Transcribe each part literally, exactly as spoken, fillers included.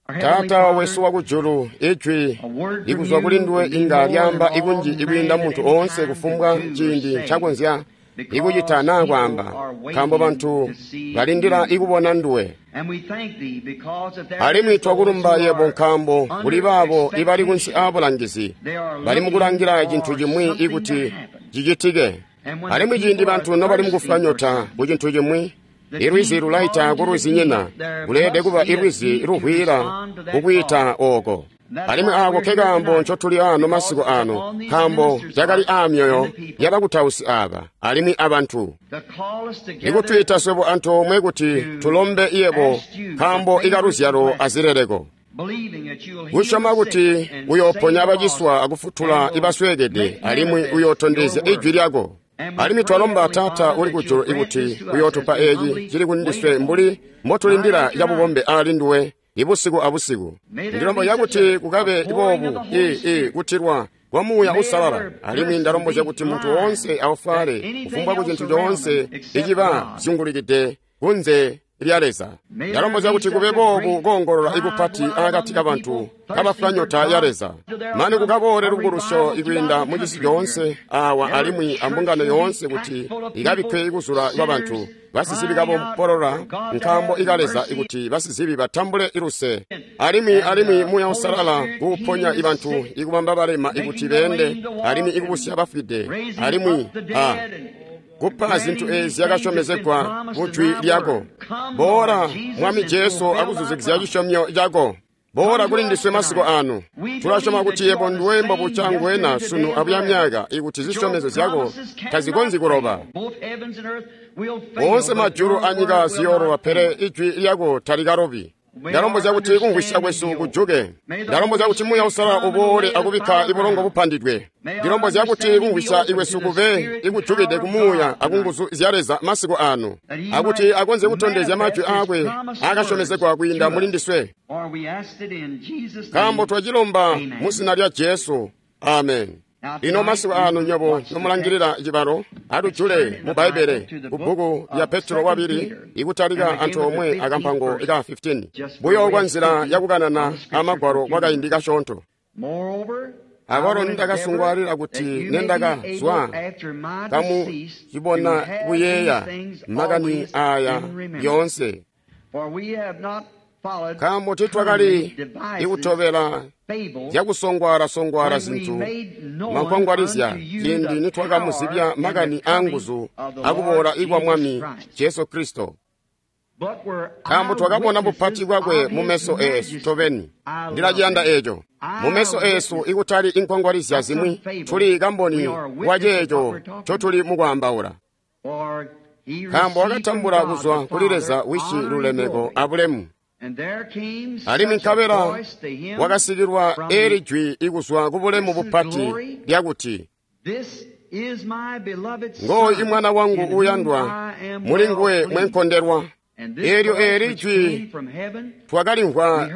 Taata wesu wakujulu, ijwi likuzwa kuli nduwe inga lyaamba ikunji ikwiinda muntu oonse kufumbwa ciindi ncakonzya ikucita naa kwaamba, nkaambo bantu balindila ikubona nduwe. Alimwi twakulumba yebo nkaambo kuli baabo ibali kunsi aabulangizi bali mukulangila cintu cimwi ikuti cicitike. Alimwi ciindi bantu nobali mukufwa nyota ku cintu cimwi, ilwizi lulaita kulwizinyina, kuleelede kuba ilwizi luvwiila kukwiita ooko. Alimwi aako nkekaambo ncotuli aano masiku aano, nkaambo cakali aamyoyo yabakutausi aaba alimwi abantu. Ikutwiita swebo antoomwe kuti tulombe yebo nkaambo ikaluzyalo azileleko. Kusyoma kuti uyooponya baciswa akufutula ibasweekede alimwi uyootondezya ijwi lyako. Alimwi twalomba Taata uli kujulu ikuti uyootupa eeci cili kundiswe mbuli mbotulindila cabubombe aali nduwe ibusiku abusiku. Ndilombozya kuti kukabe boobu i i kutilwa kwa Muuya Uusalala, alimwi ndalombozya kuti muntu woonse aufale kufumbwa ku cintu coonse iciba zyungulikide kunze lya Leza. Ndalombozya kuti kube boobu koongolola ikupati akati kabantu kabafwa nyota ya Leza, mane kukaboole lubukulusyo ikwiinda mucisi coonse awa alimwi ambungano yoonse kuti ikabikke ikuzula kwa bantu basizibi kabompolola nkaambo ika Leza ikuti basizibi batambule iluse. Alimwi alimwi Muuya Uusalala kuuponya ibantu ikubamba balema ikuti beende alimwi ikubusya bafwide alimwi a kupa zintu eezi zyakasyomezegwa mu jwi lyako. Boola Mwami Jesu akuzuzikizya cisyomyo cako. Boola kuli ndiswe masiku aano. Tulasyoma kuti yebo nduwe mbobuca ngwena sunu abuya myaka ikuti zisyomezo zyako tazikonzyi kuloba. Oonse majulu anyika ziyooloba, pele ijwi lyako talikalobi. Ndalombozya kuti kumvwisya kwesu kujuke. Ndalombozya kuti Muuya Uusalala uboole akubikka ibulongo bupandidwe. Ndilombozya kuti kumvwisya ikwesu kube ikujukide ku Muuya akunguzu zya Leza masiku aano, akuti akonzye kutondezya majwi aakwe aakasyomezegwa kwiinda muli ndiswe. Nkaambo twacilomba mu zina lya Jesu. Amen. Lino masiku aano nywebo nomulangilila cibalo, atujule mu Bbaibbele ku bbuku lya Petro wabili ikutalika antoomwe akampango ka fifteen, buyo kwa nzila yakukanana amagwalo kwakaindi kasyoonto. Akwalo nindakasungwaalila kuti nendakazwa kamucibona kuyeeya makani aaya yoonse, nkaambo titwakali ikutobela zyakusongwaala-songwaala zintu mankwangwalizya ciindi nitwakamuzibya makani aanguzu akuboola ikwa Mwami Jesu Kristo. Nkaambo twakabona bupati bwakwe mumeso eesu tobeni. Ndilaciyanda eeco. Mumeso eesu ikutali inkwangwalizya zimwi, tuli kamboni wa ceeco ncotuli mukwaambaula. Nkaambo wakatambula kuzwa kuli Leza Wisi lulemeko abulemu. Alimwi nkabela wakasikilwa eeli jwi ikuzwa kubulemu bupati lyakuti, ngooyu imwana wangu uuyandwa, muli nguwe mwenkondelwa. Eelyo eeli jwi twakalimvwa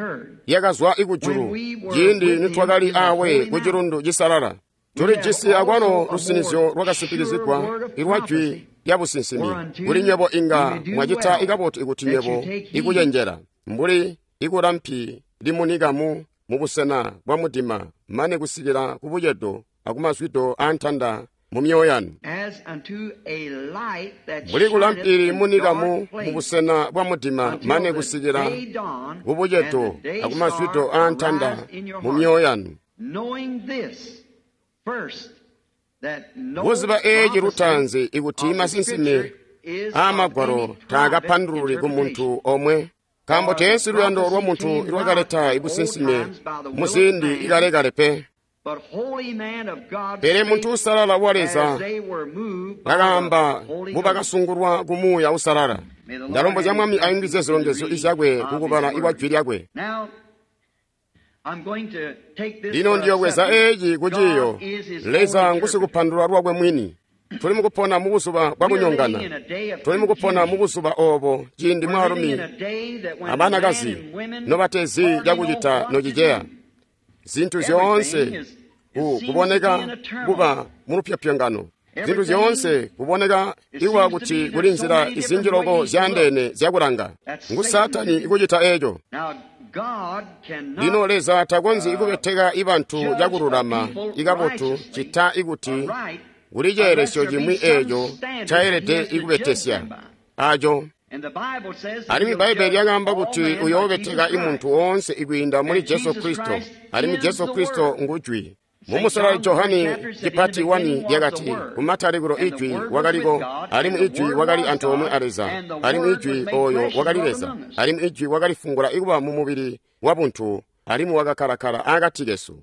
lyakazwa ikujulu ciindi nitwakali awe ku cilundu cisalala. Tulijisi akwalo lusinizyo lwakasimpikizigwa ilwa jwi lyabusinsimi. Kuli nywebo inga mwacita ikabotu ikuti nywebo ikucenjela mbuli ikulampi limunika mu mubusena bwa mudima mane kusikila kubucedo akumazwido aantanda mu myoyo yanu, mbuli kulampi limunika mu mubusena bwa mudima mane kusikila kubucedo akumazwido aantanda mu myoyo yanu. Buzuba eeci lutaanzi ikuti masinsimi aamagwalo taakapandululi ku muntu omwe, nkaambo teensi luyando lwa muntu lwakaleta ibusinsimi muziindi ikalekale pe. Pele muntu uusalala wa Leza bakaamba mbubakasungulwa ku Muuya Uusalala. Ndalombozya Mwami ayungizye zilongezyo izyakwe kukubala ikwa jwi lyakwe. Lino ndiyobweza eeci kuciiyo, Leza ngusikupandulula lwakwe mwini. Tuli mukupona mubuzuba bwakunyongana. Tuli mukupona mubuzuba oobo ciindi mwaalumi abanakazi nobatezi cakucita nociceya. Zintu zyoonse kuboneka kuba mulupyopyongano. Zintu zyoonse kuboneka iwa kuti kuli nzila izinji loko zyaandeene zyakulanga. Ngu Saatani ikucita eeco. Lino Leza takonzyi kubeteka ibantu cakululama ikabotu cita ikuti kuli ceelesyo cimwi eeco ncaelede ikubetesya aco. Alimwi Bbaibbele lyakaamba kuti uyoobeteka imuntu woonse ikwiinda muli Jesu Kristo, alimwi Jesu Kristo ngu Jwi. Mumusalali Johani cipati wani lyakati, kumatalikilo Ijwi wakaliko, alimwi Ijwi wakali antoomwe a Leza, alimwi Ijwi ooyo wakali Leza, alimwi Ijwi wakalifungula ikuba mumubili wabuntu, alimwi wakakkalakala akati kesu.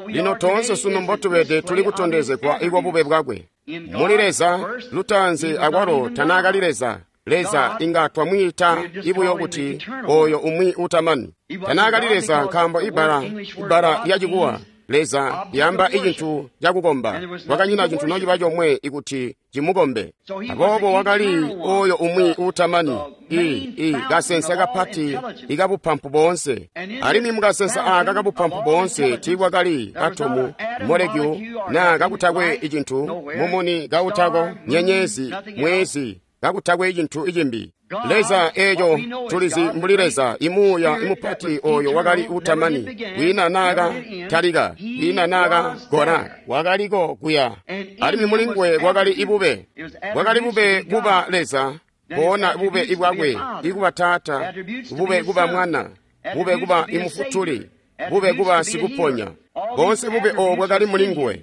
Lino toonse sunu mbotubede tuli kutondezegwa ikwa bube bwakwe. Muli Leza lutaanzi akwalo tanaakali Leza. Leza inga twamwiita ibuyo kuti oyo umwi utamani. Tanaakali Leza nkaambo ibbala ibbala lyacikuwa Leza lyamba icintu cakukomba. Kwakanyina cintu nociba comwe ikuti cimukombe. Aboobo wakali oyo umwi utamani, i i kasensa kapati ikabupampu boonse. Alimwi mukasensa aaka kabupampu boonse tiikwakali atomu, molekyu, naa kakutakwe icintu, mumuni kautako, nyenyezi, mwezi, kakutakwe icintu icimbi. Leza eeco tulizi mbuli Leza imuuya imupati oyo wakali utamani, kwiina naaka talika, kwiina naaka gona, wakaliko kuya. Alimwi muli nguwe kwakali ibube, bwakali bube kuba Leza, boona bube ibwakwe ikuba Taata, bube kuba Mwana, bube kuba imufutuli, bube kuba sikuponya. Boonse bube obo bwakali muli nguwe.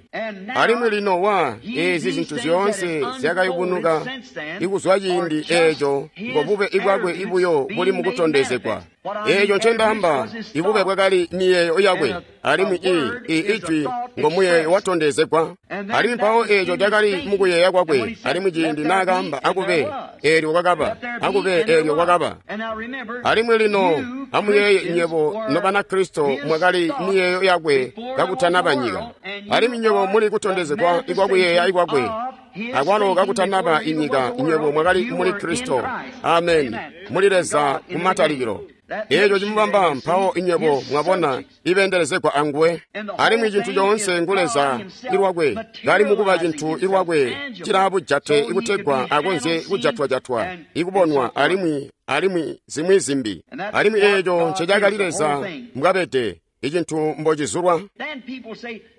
Alimwi lino wa eezi zintu zyoonse zyakayubunuka ikuzwa ciindi eeco ngo bube ibwakwe ibuyo buli mukutondezegwa. Eeco ncendaamba, ibube bwakali miyeeyo yakwe, alimwi i i ijwi ngo muyeeyo watondezegwa. Alimwi mpawo eeco cakali mukuyeeya kwakwe, alimwi ciindi naakaamba akube, eelyo kwakaba, akube eelyo kwakaba. Alimwi lino amuyeeye nywebo Nobanakristo mwakali miyeeyo yakwe kakutanaba nyika. Alimwi nywebo muli kutondezegwa ikwakuyeeya ikwakwe, akwalo kakutanaba inyika, nywebo mwakali muli Kristo. Amen. Muli Leza kumatalikilo. Eeco cimubamba mpawo inywebo mwabona ibendelezegwa anguwe. Alimwi cintu coonse ngu Leza ilwakwe, kali mukuba cintu ilwakwe cilaabujate ikutegwa akonzye kujatwajatwa, ikubonwa alimwi alimwi zimwi zimbi. Alimwi eeco ncecakali Leza mbwabede, icintu mbocizulwa.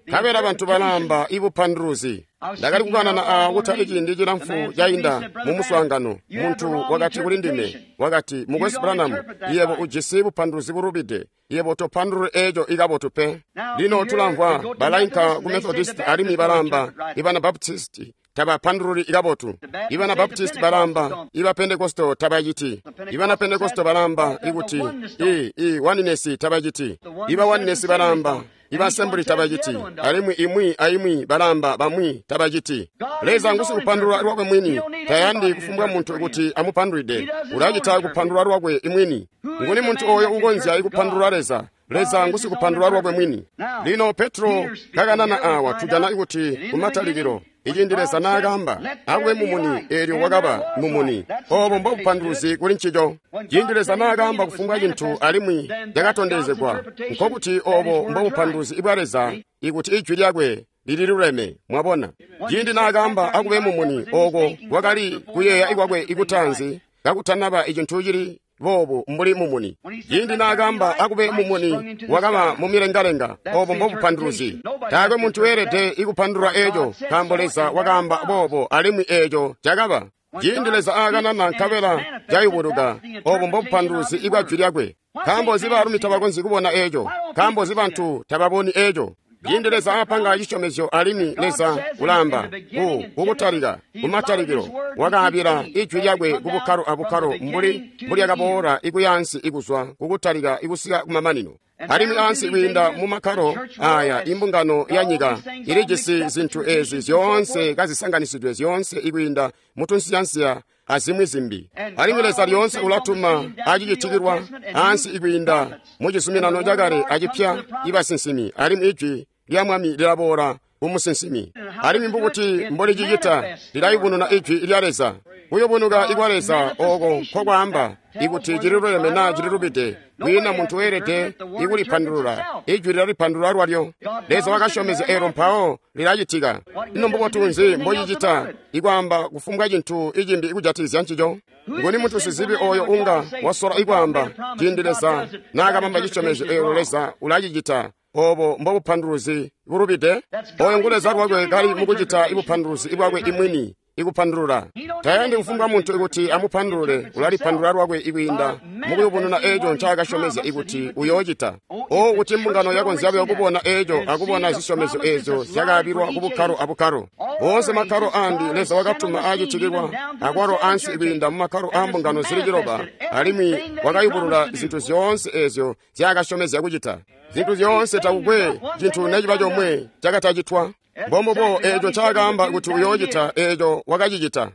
Nkabela bantu balaamba ibupanduluzi. Ndakali kukanana a kutali ciindi cilamfu cainda mu muswaangano. Muntu wakati kuli ndime, wakati, Mukwesu Branham, yebo ujisi bupanduluzi bulubide. Yebo topandululi eeco ikabotu pe. Lino tulamvwa balainka ku Methodist alimwi balaamba ibana Baptist tabapandululi ikabotu. Ibana Baptist balaamba iba Pentecostal tabaciti. Ibana Pentecostal balaamba ikuti i i oneness tabaciti. Iba oneness balaamba iba Assembly tabaciti. Alimwi imwi aimwi balaamba bamwi tabaciti. Leza ngusikupandulula lwakwe mwini, tayandi kufumbwa muntu kuti amupandulide. Ulacita kupandulula lwakwe imwini. Nguni muntu oyo ukonzya ikupandulula Leza? Leza ngusikupandulula lwakwe mwini. Lino Petro kakanana awa tujana ikuti kumatalikilo iciindi Leza naakaamba akube mumuni, eelyo wakaba mumuni. Obo mbobupanduluzi kuli ncico. Ciindi Leza naakaamba kufumbwa cintu alimwi cakatondezegwa, nkokuti obo mbobupanduluzi bwa Leza ikuti ijwi lyakwe lililuleme. Mwabona, ciindi naakaamba akube mumuni, oko kwakali kuyeeya ikwakwe ikutaanzi kakutanaba icintu cili boobu mbuli mumuni. Ciindi naakaamba akube mumuni, wakaba mumilengalenga. Obo mbobupanduluzi. Taakwe muntu weelede ikupandulula eeco, nkaambo Leza wakaamba boobo alimwi eeco cakaba. Ciindi Leza aakanana nkabela cayubuluka, obo mbobupanduluzi ibwa jwi lyakwe. Nkaambo nzi baalumi tabakonzyi kubona eeco? Nkaambo nzi bantu tababoni eeco? Ciindi Leza aapanga cisyomezyo alimwi Leza ulaamba ku kukutalika kumatalikilo wakaabila ijwi lyakwe kubukkalo abukkalo mbuli mbulyakaboola ikuyaansi ikuzwa kukutalika ikusika kumamanino. Alimwi ansi kwiinda mumakkalo aya imbungano ya nyika ilijisi zintu ezi zyoonse kazisanganisidwe zyoonse ikwiinda mutunsiyansiya azimwi zimbi. Alimwi Leza lyoonse ulatuma acicitikilwa ansi ikwiinda mucizuminano cakale acipya ibasinsimi, alimwi ijwi lya Mwami lilaboola kumusinsimi. Alimwi mbukuti mbolicicita lilayubununa ijwi lya Leza. Kuyubunuka ikwa Leza oko nkokwaamba ikuti cililuleme naa cililubide. Kwiina muntu weelede ikulipandulula. Ijwi lilalipandulula lwalyo. Leza wakasyomezya elo mpawo lilacitika. Ino mbubotu nzi mbocicita ikwaamba kufumbwa cintu icimbi ikujatikizya ncico? Nguni muntu sizibi oyo unga wasola ikwaamba ciindi Leza naakabamba cisyomezyo elo Leza ulacicita? Obo mbobupanduluzi bulubide. Oyo ngu Leza lwakwe kali mukucita ibupanduluzi bwakwe imwini ikupandulula. Tayandi kufumbwa muntu ikuti amupandulule, ulalipandulula lwakwe ikwiinda mukuyubununa eeco ncaakasyomezya ikuti uyoocita. O kuti mbungano yakonzya buyo kubona eeco akubona zisyomezyo eezyo zyakaabilwa kubukkalo abukkalo. Oonse makkalo ambi Leza wakatuma aacitikilwa akwalo ansi ikwiinda mumakkalo aambungano zili ciloba, alimwi wakayubulula zintu zyoonse eezyo zyaakasyomezya kucita. Zintu zyoonse takukwe cintu neciba comwe cakatacitwa. Mbombubo eeco ncaakaamba kuti uyoocita eeco wakacicita.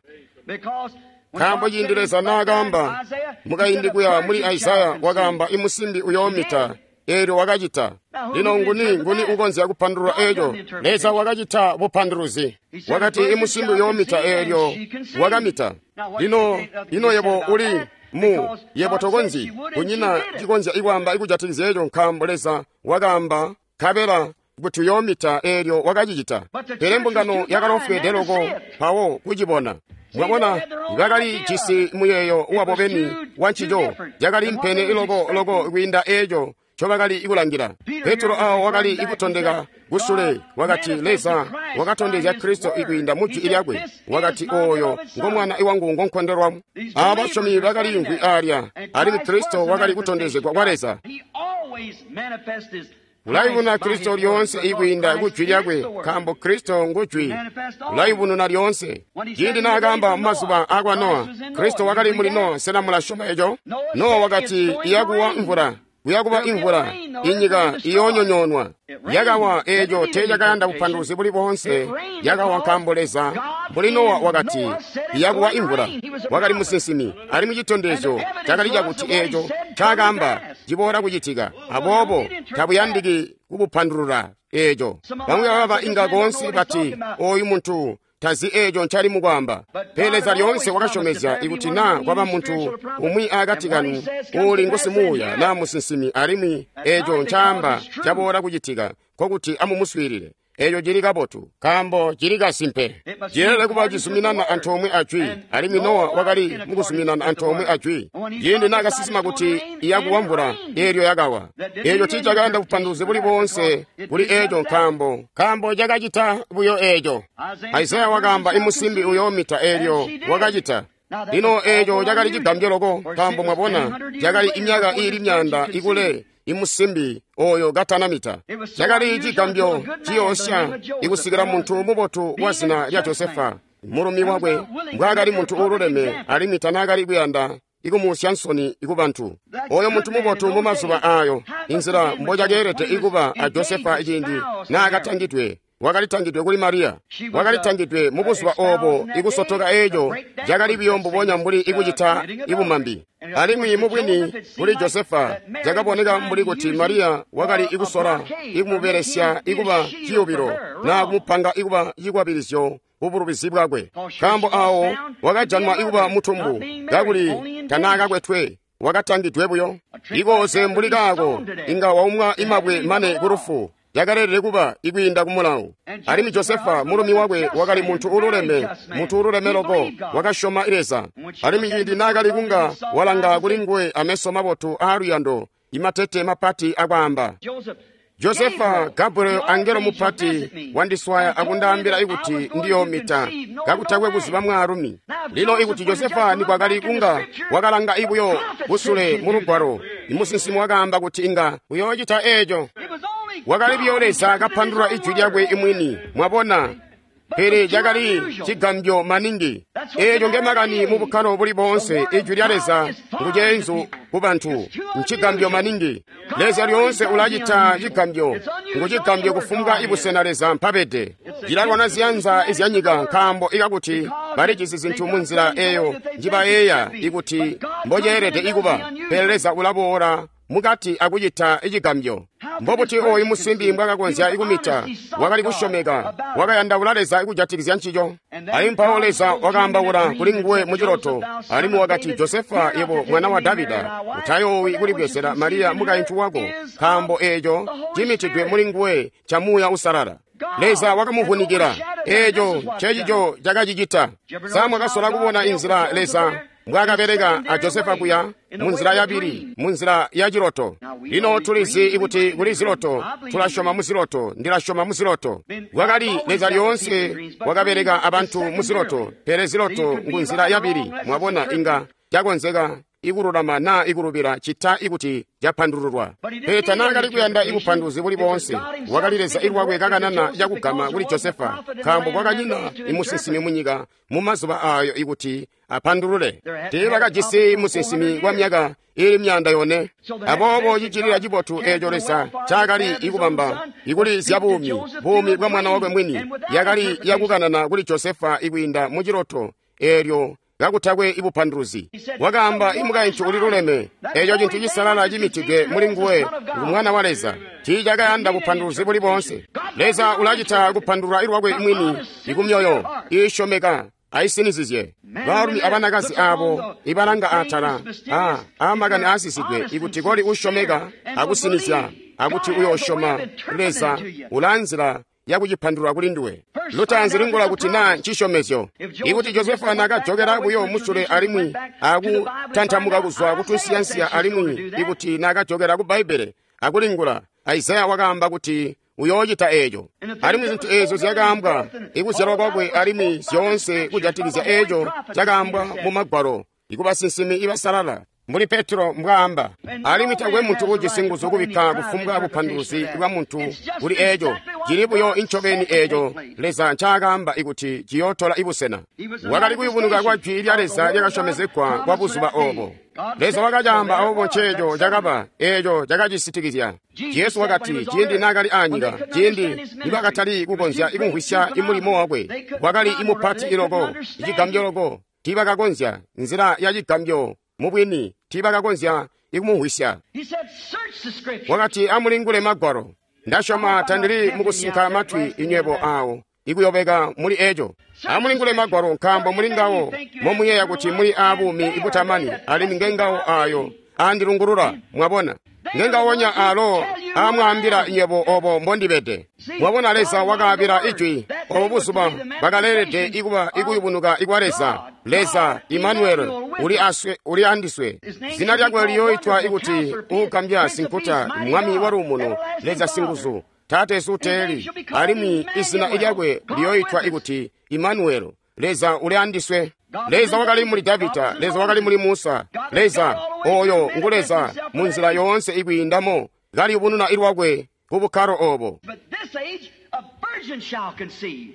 Nkaambo ciindi Leza naakaamba mukaindi kuya muli Isaya wakaamba imusimbi uyoomita, eelyo wakacita. Lino nguni nguni ukonzya kupandulula eeco? Leza wakacita bupanduluzi. Wakati imusimbi uyoomita, eelyo wakamita. Lino ino yebo uli mu yebo tokonzyi, kunyina cikonzya ikwaamba ikujatikizya eeco, nkaambo Leza wakaamba nkabela kuti uyoomita, eelyo wakacicita. Pele mbungano yakalofweede loko mpawo kucibona. Mwabona, bakali jisi muyeeyo wabo beni wa ncico, cakali mpene loko loko kwiinda eeco ncobakali kulangila. Petro awo wakali ikutondeka kusule, wakati Leza wakatondezya Kristo ikwiinda mu jwi lyakwe. Wakati oyo ngo mwana wangu ngonkondelwa. Aba basyomi bakaliimvwi alya, alimwi Kristo wakali kutondezegwa kwa Leza. Ulayubununa Kristo lyoonse ikwiinda kujwi lyakwe, nkaambo Kristo ngujwi. Ulayubununa lyoonse. Ciindi naakaamba mumazuba akwa Nowa, Kristo wakali muli Nowa. Sena mulasyoma eco? Nowa wakati iyakuwa mvula, kuyakuba imvula, inyika iyoonyonyoonwa. Yakawa eeco teecakayanda bupanduluzi buli boonse. Yakawa nkaambo Leza mbuli Nowa wakati iyakuwa imvula. Wakali musinsimi, alimwi citondezyo cakali cakuti eeco ncaakaamba ciboola kucitika. Aboobo tabuyandiki kubupandulula eeco. Bamwi baba inga koonse bati oyu muntu tazi eeco ncali mukwaamba. Pele Leza lyoonse wakasyomezya ikuti naa kwaba muntu umwi akati kanu uuli ngusimuuya naa musinsimi, alimwi eeco ncaamba caboola kucitika, nkokuti amumuswiilile. Eeco cili kabotu, nkaambo cili kasimpe. Cileelede kuba cizuminana antoomwe ajwi, alimwi Nowa wakali mukuzuminana antoomwe ajwi. Ciindi naakasinsima kuti iyakuwa mvula, eelyo yakawa. Eeco tiicakayanda bupanduluzi buli boonse kuli eeco, nkaambo nkaambo cakacita buyo eeco. Isaya wakaamba imusimbi uyoomita, eelyo wakacita. Lino eeco cakali cigambyo loko, nkaambo mwabona cakali imyaka iili myaanda ikule imusimbi oyo katanamita. Cakali cigambyo ciyoosya ikusikila muntu mubotu wa zina lya Josefa, mulumi wakwe, mbwaakali muntu uululeme alimwi tanaakali kuyanda ikumuusya nsoni ikubantu. Oyo muntu mubotu mumazuba aayo, inzila mbocakeelede ikuba a Josefa ciindi naakatangidwe, wakalitangidwe kuli Mariya. Wakalitangidwe mubuzuba obo ikusotoka eeco cakali buyo mbubonya mbuli ikucita ibumambi. Alimwi mubwini kuli Josefa cakaboneka mbuli kuti Mariya wakali ikusola ikumubelesya ikuba ciyubilo naa kumupanga ikuba cikwabilizyo kubulubizi bwakwe, nkaambo awo wakajanwa ikuba mutumbu kakuli tanaakakwetwe, wakatangidwe buyo. Ikooze mbuli kaako inga waumwa imabwe mane kulufu. Yakalelele kuba ikwiinda kumulawu. Alimwi Josefa mulumi wakwe wakali muntu uululeme, muntu uululeme loko, wakasyoma Leza. Alimwi ciindi naakali kunga walanga kuli nguwe ameso mabotu aaluyando, imatete mapati akwaamba, Josefa, Gabriel angelo mupati wandiswaya akundaambila ikuti ndiyoomita kakutakwe kuziba mwaalumi. Lino ikuti Josefa nikwakali kunga wakalanga ibuyo kusule mu lugwalo, imusinsimi wakaamba kuti inga uyoocita eeco. Wakali buyo Leza kapandulula ijwi lyakwe imwini, mwabona. Pele cakali cigambyo maningi. Eeco ngemakani mu bukkalo buli boonse. Ijwi lya Leza nguceenzu ku bantu, ncigambyo maningi. Leza lyoonse ulacita cigambyo, ngucigambyo kufumbwa ibusena Leza mpabede. Cilalwana ziyanza izyanyika, nkaambo ikakuti balijisi zintu munzila eeyo njibayeeya ikuti mboceelede ikuba. Pele Leza ulaboola mukati akucita icigambyo. Mbobuti oyu musimbi mbwakakonzya ikumita? Wakali kusyomeka, wakayandaula Leza kujatikizya ncico. Alimwi mpawo Leza wakaambaula kuli nguwe muciloto, alimwi wakati, Josefa, yebo mwana wa Davida, utayoowi kulibwezela Mariya mukaintu wako, nkaambo eeco cimitidwe muli nguwe ca Muuya Uusalala. Leza wakamuvunikila. Eeco ncecico cakacicita. Sa mwakasola kubona inzila Leza mbwaakabeleka a Josefa kuya munzila yabili, munzila ya ciloto? Lino tulizi kuti kuli ziloto, tulasyoma muziloto, ndilasyoma muziloto. Wakali Leza lyoonse wakabeleka abantu muziloto, pele ziloto ngunzila yabili. Mwabona, inga cakonzeka ikululama naa ikulubila cita ikuti capandululwa. Pele tanaakali kuyanda ibupanduluzi buli boonse. Wakali Leza ilwakwe kakanana cakugama kuli Josefa, nkaambo kwakanyina imusinsimi munyika mumazuba aayo ikuti apandulule. Teebakajisi musinsimi kwa myaka ili myanda yone. Aboobo cicilila cibotu eeco Leza ncaakali ikubamba ikuli zya buumi, buumi bwa mwana wakwe mwini, yakali yakukanana kuli Josefa ikwiinda muciloto eelyo kakutakwe ibupanduluzi. Wakaamba, imukaintu uliluleme, eeco cintu cisalala cimitidwe muli nguwe ngu mwana wa Leza. Tiicakayanda bupanduluzi buli boonse. Leza ulacita kupandulula ilwakwe mwini ikumyoyo iisyomeka aisinizizye. Baalumi abanakazi aabo ibalanga atala a aamakani aasisidwe ikuti koli usyomeka akusinizya akuti uyoosyoma Leza, ulaanzila yakucipandulula kuli nduwe. Lutaanzi lingula kuti naa ncisyomezyo. Ikuti Josefa naakajokela buyo musule alimwi akutantamuka kuzwa kutunsiyansiya, alimwi ikuti naakajokela ku Bbaibbele akulingula, Isaya wakaamba kuti uyoocita eeco. Alimwi zintu eezyo zyakaambwa ikuzyalwa kwakwe alimwi zyoonse kujatikizya eeco cakaambwa mu Magwalo ikubasinsimi ibasalala, mbuli Petro mbwaamba. Alimwi takwe muntu ujisi nguzu kubikka kufumbwa bupanduluzi bwa muntu kuli eeco. Cili buyo incobeni eeco Leza ncaakaamba ikuti ciyootola ibusena. Wakali kuyubunuka kwa jwi lya Leza lyakasyomezegwa kwa buzuba oobo. Leza wakacaamba aboobo nceeco cakaba, eeco cakacisitikizya. Jesu wakati ciindi naakali aanyika, ciindi nibakatali kukonzya ikumvwisya imulimo wakwe, wakali imupati iloko, icigambyo loko, tiibakakonzya nzila ya cigambyo mubwini, tiibakakonzya ikumumvwisya. Wakati, amulingule Magwalo. Ndasyoma tandili mukusinka matwi inywebo aawo ikuyobeka muli eeco. Amulingule Magwalo, nkaambo muli ngawo momuyeeya kuti muli aabuumi ibutamani, alimwi ngengawo aayo aandilungulula. Mwabona, ngengawonya alo aamwaambila inywebo obo mbondibede. Mwabona, Leza wakaabila ijwi obo buzuba bakaleelede ikuba ikuyubunuka ikwa Leza. Leza Imanueli uli aswe, uli andiswe. Zina lyakwe liyoitwa ikuti Uugambya, Sinkuta, Mwami wa Luumuno, Leza Singuzu, Taateesu Teeli, alimwi izina lyakwe liyoitwa ikuti Imanueli, Leza uli andiswe. Leza wakali muli Davida, Leza wakali muli Musa. Leza oyo ngu Leza munzila yoonse ikwiindamo kaliyubununa ilwakwe ku bukkalo obo.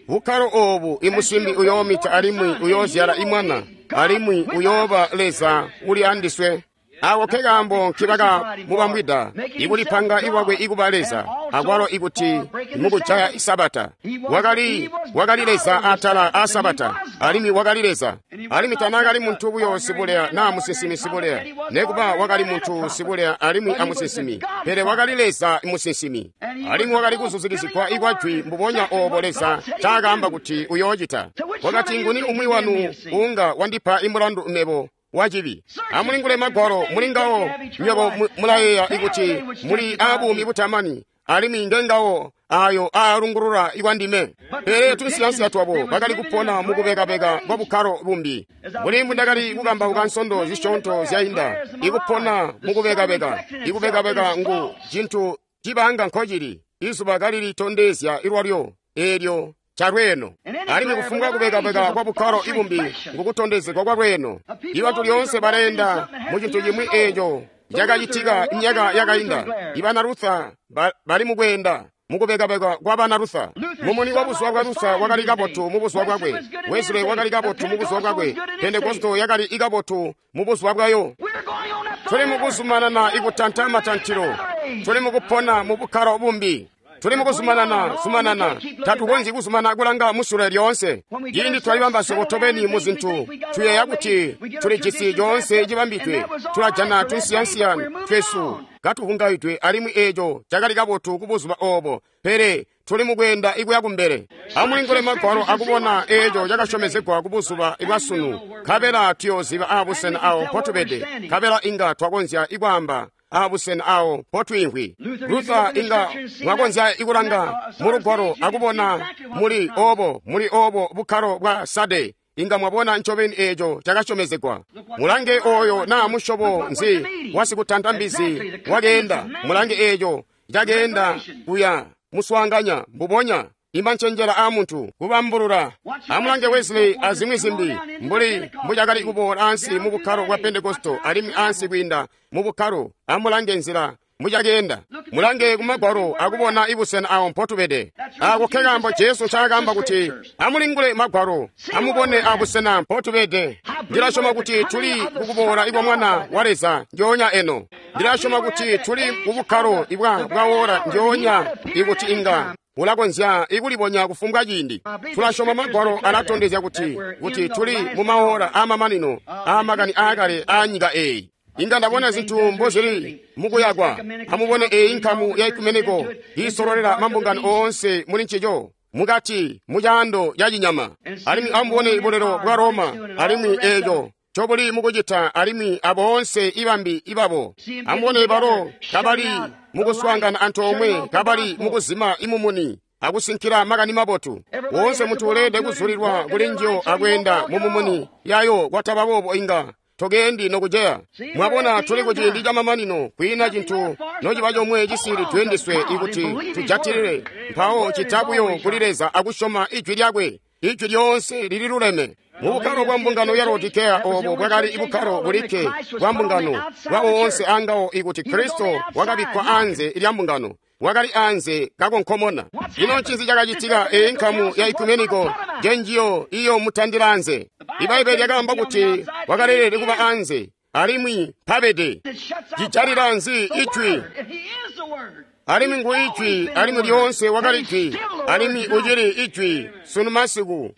Bukkalo obu imusimbi uyoomita alimwi uyoozyala imwana, alimwi uyooba Leza uli andiswe. Ako ke kaambo nkibaka mubambwida ikulipanga iwakwe ikuba Leza, akwalo ikuti mukujaya isabata. Wakali wakali Leza atala a sabata, alimwi wakali Leza. Alimwi tanaakali muntu buyo sibuleya naa musinsimi sibuleya, nekuba wakali muntu sibuleya alimwi amusinsimi, pele wakali Leza musinsimi. Alimwi wakali kuzuzikizigwa ikwajwi mbubonya oobo Leza ncaakaamba kuti uyoocita. Wakati, nguni umwi wanu uunga wandipa imulandu mebo wacibi? Amulingule Magwalo, mulingawo nywebo mulayeeya ikuti muli aabuumi butamani, alimwi ngengawo ayo aalungulula ikwandime. Pele tunsiyansiya twabo bakali kupona mukubekabeka kwa bukkalo bumbi. Mbuli mbundakali kukambauka nsondo zisyoonto zyainda, ikupona mukubekabeka, ikubekabeka ngu cintu cibanga nkocili, izuba kalilitondezya ilwalyo eelyo calweeno. Alimwi kufumbwa kubekabeka kwa bukkalo ibumbi ngukutondezegwa kwa lweeno. Ibantu lyoonse baleenda mu cintu cimwi eeco cakacitika myaka yakainda. Ibana Luther bali mukweenda mukubekabeka kwa bana Luther. Mumuni wa buzuba bwa Luther wakali kabotu mu buzuba bwakwe, Wesley wakali kabotu mu buzuba bwakwe, Pentekosto yakali ikabotu mu buzuba bwayo. Tuli mukuzumanana ikutanta matantilo, tuli mukupona mu bukkalo bumbi. Tuli mukuzumanana zumanana, tatukonzyi kuzumana kulanga musule lyoonse. Ciindi twalibamba swebo tobeni mu zintu, tuyeeya kuti tulijisi coonse cibambidwe, tulajana tunsiyansiya twesu katuvungaidwe, alimwi eeco cakali kabotu kubuzuba oobo, pele tuli mukweenda ikuya kumbele. Amulingule Magwalo akubona eeco cakasyomezegwa kubuzuba bwasunu, nkabela tuyooziba aabusena awo mpotubede, nkabela inga twakonzya ikwaamba aabusena awo mpotwiimvwi. Luther inga mwakonzya ikulanga mu Lugwalo akubona muli oobo muli oobo bukkalo bwa Sade, inga mwabona ncobeni eeco cakasyomezegwa. Mulange oyo naa musyobo nzi wasikutanta mbizi wakeenda, mulange eeco cakeenda kuya muswaanganya mbubonya imancenjela aamuntu kubambulula. Amulange Wesley azimwi zimbi mbuli mbucakali kuboola ansi mu bukkalo bwa Pentekosto alimwi ansi kwiinda mu bukkalo. Amulange nzila mbucakeenda. Mulange kumagwalo akubona ibusena awo mpotubede. Ako nkekaambo Jesu ncaakaamba kuti amulingule Magwalo, amubone abusena mpotubede. Ndilasyoma kuti tuli kukuboola ikwa Mwana wa Leza njoonya eno. Ndilasyoma kuti tuli kubukkalo ibwa bwawola njoonya ikuti inga ulakonzya ikulibonya kufumbwa ciindi. Tulasyoma Magwalo alatondezya kuti kuti tuli mumaora aamamanino aamakani aakale aanyika eeyi. Inga ndabona zintu mbozili mukuyakwa. Amubone eeyi nkamu ya ekumeniko iisololela mambungano oonse muli ncico mukati mucaando ca cinyama. Alimwi amubone bulelo bwa Roma alimwi eeco ncobuli mukucita, alimwi aboonse ibambi ibabo. Amubone balo kabali mukuswaangana antoomwe, kabali mukuzima imumuni akusinkila makani mabotu. Woonse muntu uleede kuzulilwa kuli njiyo akweenda mumumuni yayo, kwataba boobo inga tokeendi nokuceya. Mwabona, tuli kuciindi camamanino, kwiina cintu nociba comwe cisiili tuyendiswe ikuti tujatilile mpawo cita buyo kuli Leza akusyoma ijwi lyakwe. Ijwi lyoonse lililuleme. Mubukkalo bwa mbungano ya Laodikeya oobo bwakali bukkalo bulikke bwa mbungano bwa woonse angawo ikuti Kristo wakabikkwa anze lya mbungano, wakali anze kakonkomona. Ino ncinzi cakacitika? Eyi nkamu ya ekumeniko njenjiyo iyo mutandila anze. Ibaibbele lyakaamba kuti wakaleelede kuba anze, alimwi mpabede. Cijalila nzi ijwi? Alimwi ngu ijwi, alimwi lyoonse wakali ijwi, alimwi ucili ijwi sunu masiku.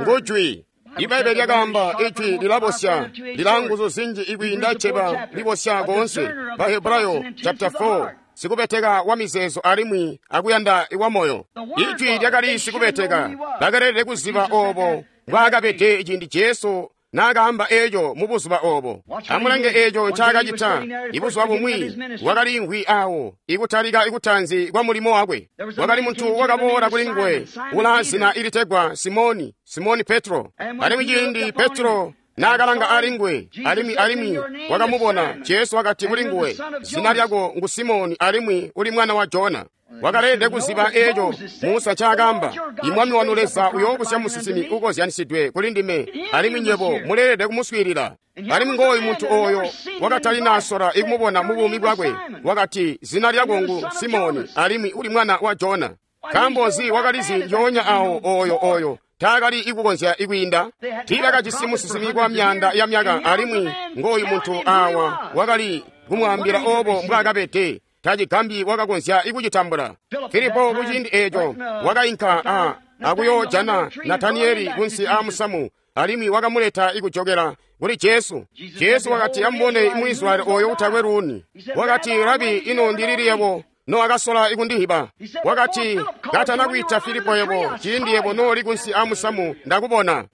Ngu jwi. Ibaibbele lyakaamba ijwi lilabosya, lila nguzu zinji ikwiinda ceba libosya koonse. Bahebrayo chapter four, sikubeteka wa mizeezo alimwi akuyanda wa moyo. Ijwi lyakali sikubeteka, bakalelede kuziba oobo mbwaakabede ciindi Jesu naakaamba eeco mubuzuba oobo. Amulange eeco ncaakacita. Ibuzuba bumwi wakaliimvwi awo ikutalika ikutanzi kwa mulimo wakwe. Wakali muntu wakaboola kuli nguwe ulaa zina ilitegwa Simoni, Simoni Petro. Alimwi ciindi Petro naakalanga ali nguwe, alimwi alimwi wakamubona, Jesu wakati kuli nguwe, zina lyako ngu Simoni alimwi uli mwana wa Jona. Wakaleelede kuziba eeco Musa ncaakaamba, imwami wanu Leza uyoobusya musinsimi ukozyanisidwe kuli ndime, alimwi nywebo muleelede kumuswiilila. Alimwi ngooyu muntu ooyo wakatalinasola ikumubona mubuumi bwakwe, wakati, zina lyako ngu Simoni alimwi uli mwana wa Jona. Nkaambo nzi wakalizi njoonya awo ooyo ooyo taakali ikukonzya ikwiinda? Tiibakajisi musinsimi kwa myaanda ya myaka, alimwi ngooyu muntu aawa wakali kumwaambila oobo mbwaakabede. Tacigambi wakakonzya ikucitambula. Filipo kuciindi eeco wakainka a akuyoojana Nataniyeli kunsi aamusamu, alimwi wakamuleta ikujokela kuli Jesu. Jesu wakati, amubone Muisraeli ooyo utakwe luuni. Wakati, Rabi, ino ndilili yebo nowakasola ikundihiba? Wakati, katana kwiita Filipo yebo, ciindi yebo nooli kunsi aamusamu ndakubona.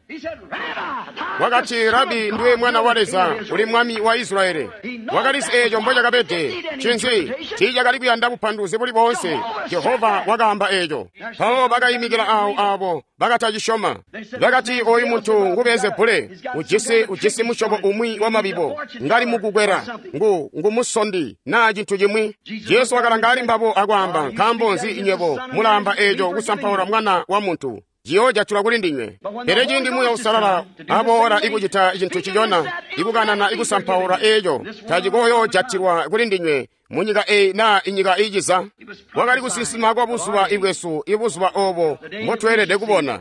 Wakati, Rabi, ndiwe mwana wa Leza, uli mwami wa Israeli. Wakalizi eeco mbocakabede. Ncinzi? Tiicakali kuyanda bupanduluzi buli boonse. Jehova wakaamba eeco. Mpawo bakayimikila awo aabo bakatacisyoma. Bakati, ooyu muntu ngu Beelzebule, ujisi ujisi musyobo umwi wa mabibo, ngali mukukwela, ngu ngumusondi naa cintu cimwi. Jesu wakalanga ali mbabo akwaamba, nkaambo nzi inywebo mulaamba eeco kusampaula Mwana wa Muntu? Ciyoojatulwa kuli ndinywe. Pele ciindi Muuya Uusalala aboola ikucita cintu cicona, ikukanana ikusampaula eeco, tacikoyoojatilwa kuli ndinywe munyika eyi naa inyika iiciza. Wakali kusinsima kwa buzuba ibwesu, ibuzuba oobo mbotweelede kubona.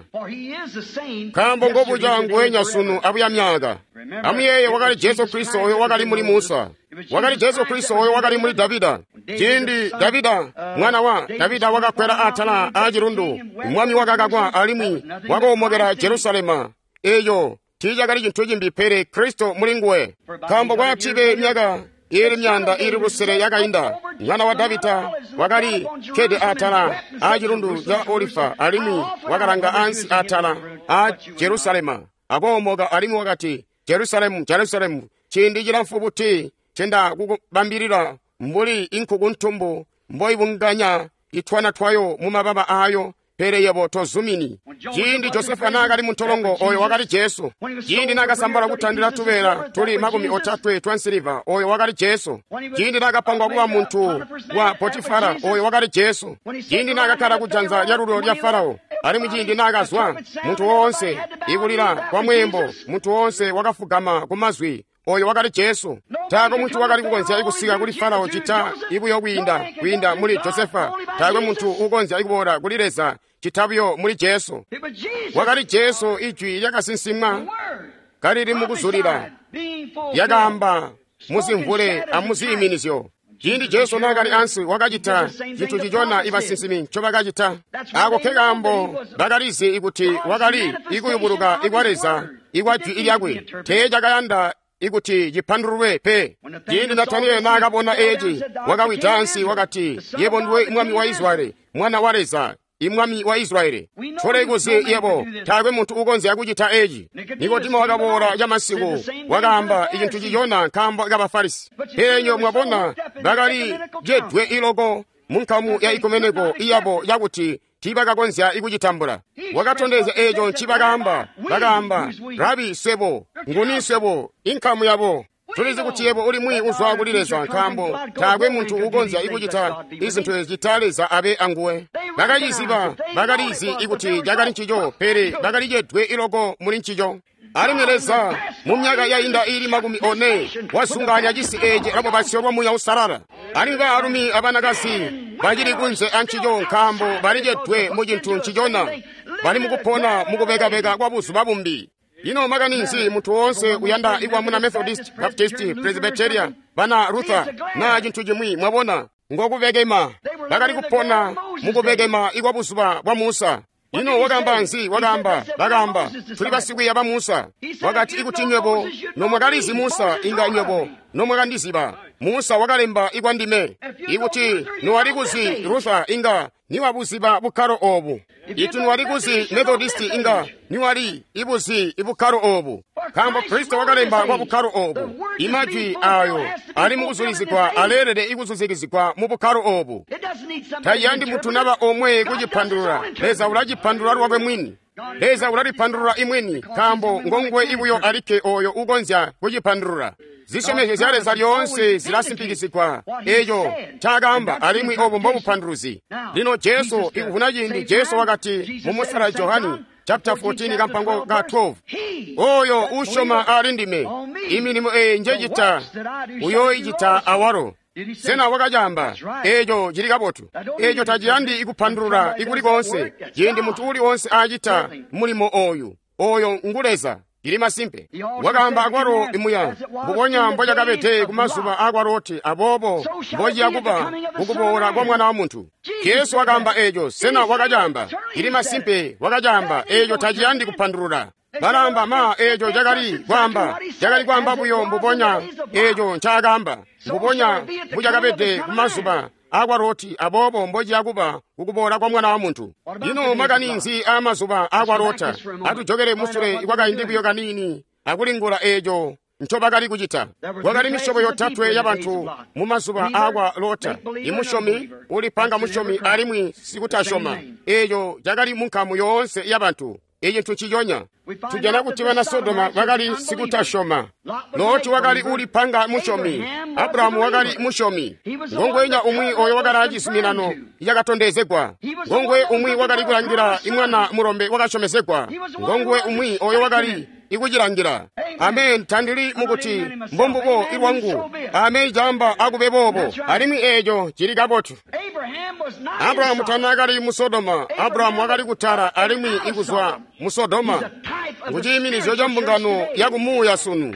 Nkaambo ngobuca nguwenya sunu abuya myaka. Amuyeeye, wakali Jesu Kristo oyo wakali muli Musa. Wakali Jesu Kristo oyo wakali muli Davida. Ciindi Davida mwana wa Davida wakakwela atala a cilundu, mwami wakakakwa alimwi wakoomokela Jerusalema. Eyo tiicakali cintu cimbi pele Kristo muli nguwe. Nkaambo kwatibe myaka ili myanda ili lusele yakainda, mwana wa Davida wakali kkede atala a cilundu ca Olifa alimwi wakalanga ansi atala a Jerusalema akoomoka alimwi wakati, Jerusalemu, Jerusalemu, ciindi cilamfu buti cenda kukubambilila mbuli inkuku ntumbu mboibunganya itwana twayo mu mababa ayo, pele yebo tozumini. Ciindi Josefa naakali muntolongo, oyo wakali Jesu. Ciindi naakasambala kutandila tubeela tuli makumi otatwe twa nsiliva, oyo wakali Jesu. Ciindi naakapangwa kuba muntu wa Potifara, oyo wakali Jesu. Ciindi naakakkala kujanza lyalulyo lya Farao, alimwi ciindi naakazwa, muntu woonse ikulila kwa mweembo, muntu woonse wakafugama ku mazwi, oyo wakali Jesu. Taakwe muntu wakali kukonzya kusika kuli Farao cita ibuyo kwiinda kwiinda muli Josefa. Taakwe muntu ukonzya kuboola kuli Leza cita buyo muli Jesu. Wakali Jesu, ijwi lyakasinsimwa kalili mukuzulila, lyakaamba muzimvule amuziiminizyo. Ciindi Jesu naakali ansi wakacita cintu cicona ibasinsimi ncobakacita. Ako ke kaambo bakalizi ikuti wakali ikuyubuluka ikwa Leza ikwa jwi lyakwe, teecakayanda ikuti cipandululwe pe. Ciindi Natanieli naakabona eeci, wakawida ansi wakati, yebo ndiwe mwami wa Israyeli, mwana wa Leza, imwami wa Israyeli. Tolekuzi yebo, taakwe muntu ukonzya kucita eeci. Nikodimo wakaboola camasiku, wakaamba icintu cicona nkaambo ka Bafarisi. Pele nyo mwabona bakali jedwe iloko munkamu ya ikumeneko iyabo yakuti tiibakakonzya ikucitambula. Wakatondezya eeco ncibakaamba. Bakaamba, Rabi, swebo nguni swebo inkamu yabo? Tulizi kuti yebo uli mwi uzwa kuli Leza, nkaambo taakwe muntu ukonzya ikucita izintu ezi cita Leza abe anguwe. Bakaciziba, bakalizi ikuti cakali ncico, pele bakalijedwe iloko muli ncico. Alimwi Leza mu myaka yainda ili makumi one wasunganya cisi eeci lwabubasyo lwa Muuya Uusalala. Alimwi baalumi abanakazi bacili kunze ancico nkaambo balijedwe mu cintu ncicona, bali mukupona mukubekabeka kwa buzuba bumbi. Ino makani nzi muntu woonse uyanda ikwa muna Methodist, Baptist, Presbyteria, bana Luther na cintu cimwi, mwabona, ngokubekema. Bakali kupona mukubekema ikwa buzuba bwa Musa. Ino wakaamba nzi? Wakaamba, bakaamba, tuli basikwiiya ba Musa. Wakati, ikuti nywebo nomwakalizi Musa, inga nywebo nomwakandiziba. Musa wakalemba ikwa ndime. Ikuti nowalikuzi Luther, inga niwabuziba bukkalo obu. Iti niwalikuzi Methodist, inga niwali ibuzi ibukkalo obu. Nkaambo Kristo wakalemba kwa bukkalo obu. Imajwi ayo ali mukuzulizigwa aleelede ikuzuzikizigwa mu bukkalo obu. Tayandi muntu naba omwe kucipandulula. Leza ulacipandulula lwakwe mwini. Leza ulalipandulula imwini, nkaambo ngonguwe ibuyo alikke oyo ukonzya kucipandulula. Zisyomezyo zya Leza lyoonse zilasimpikizigwa eeco ncaakaamba, alimwi obu mbobupanduluzi. Lino Jesu ikuvuna ciindi, Jesu wakati mu Musala Johani chapter fourteen kampango ka twelve, oyo usyoma ali ndime, imilimo eyi njecita uyoicita awalo. Sena wakacaamba? Eeco cili kabotu. Eeco taciyandi ikupandulula ikuli koonse. Ciindi muntu uli oonse aacita mulimo oyu, oyo ngu Leza. Cili masimpe. Wakaamba akwalo imuya, mbubonya mbocakabede kumazuba akwa Loti, aboobo mbociya kuba kukuboola kwa Mwana wa Muntu. Jesu wakaamba eeco. Sena wakacaamba? Cili masimpe wakacaamba. Eeco taciyandi kupandulula. Balaamba ma eeco cakali kwaamba, cakali kwaamba buyo mbubonya eeco ncaakaamba, mbubonya mbucakabede kumazuba akwa Loti, aboobo mbociya kuba kukuboola kwa Mwana wa Muntu. Ino makani nzi aamazuba akwa Lota? Atujokele musule kwakaindi buyo kaniini akulingula eeco ncobakali kucita. Kwakali misyobo yotatwe yabantu mu mazuba akwa Lota: imusyomi, ulipanga musyomi, alimwi sikutasyoma. Eeco cakali munkamu yoonse yabantu. Ecintu nciconya tujana kuti bana Sodoma bakali sikutasyoma, Loti wakali ulipanga musyomi, Abrahamu wakali musyomi. Ngongwenya umwi oyo wakali acizuminano yakatondezegwa, ngongwe umwi wakali kulangila imwana mulombe wakasyomezegwa, ngongwe umwi oyo wakali ikucilangila. Amen. Tandili mukuti mbombubo ilwangu. Amen. Camba akube boobo, alimwi eeco cili kabotu. Abrahamu tanaakali mu Sodoma. Abrahamu wakali kutala alimwi ikuzwa mu Sodoma. Nguciiminizyo ca mbungano yakumuuya sunu.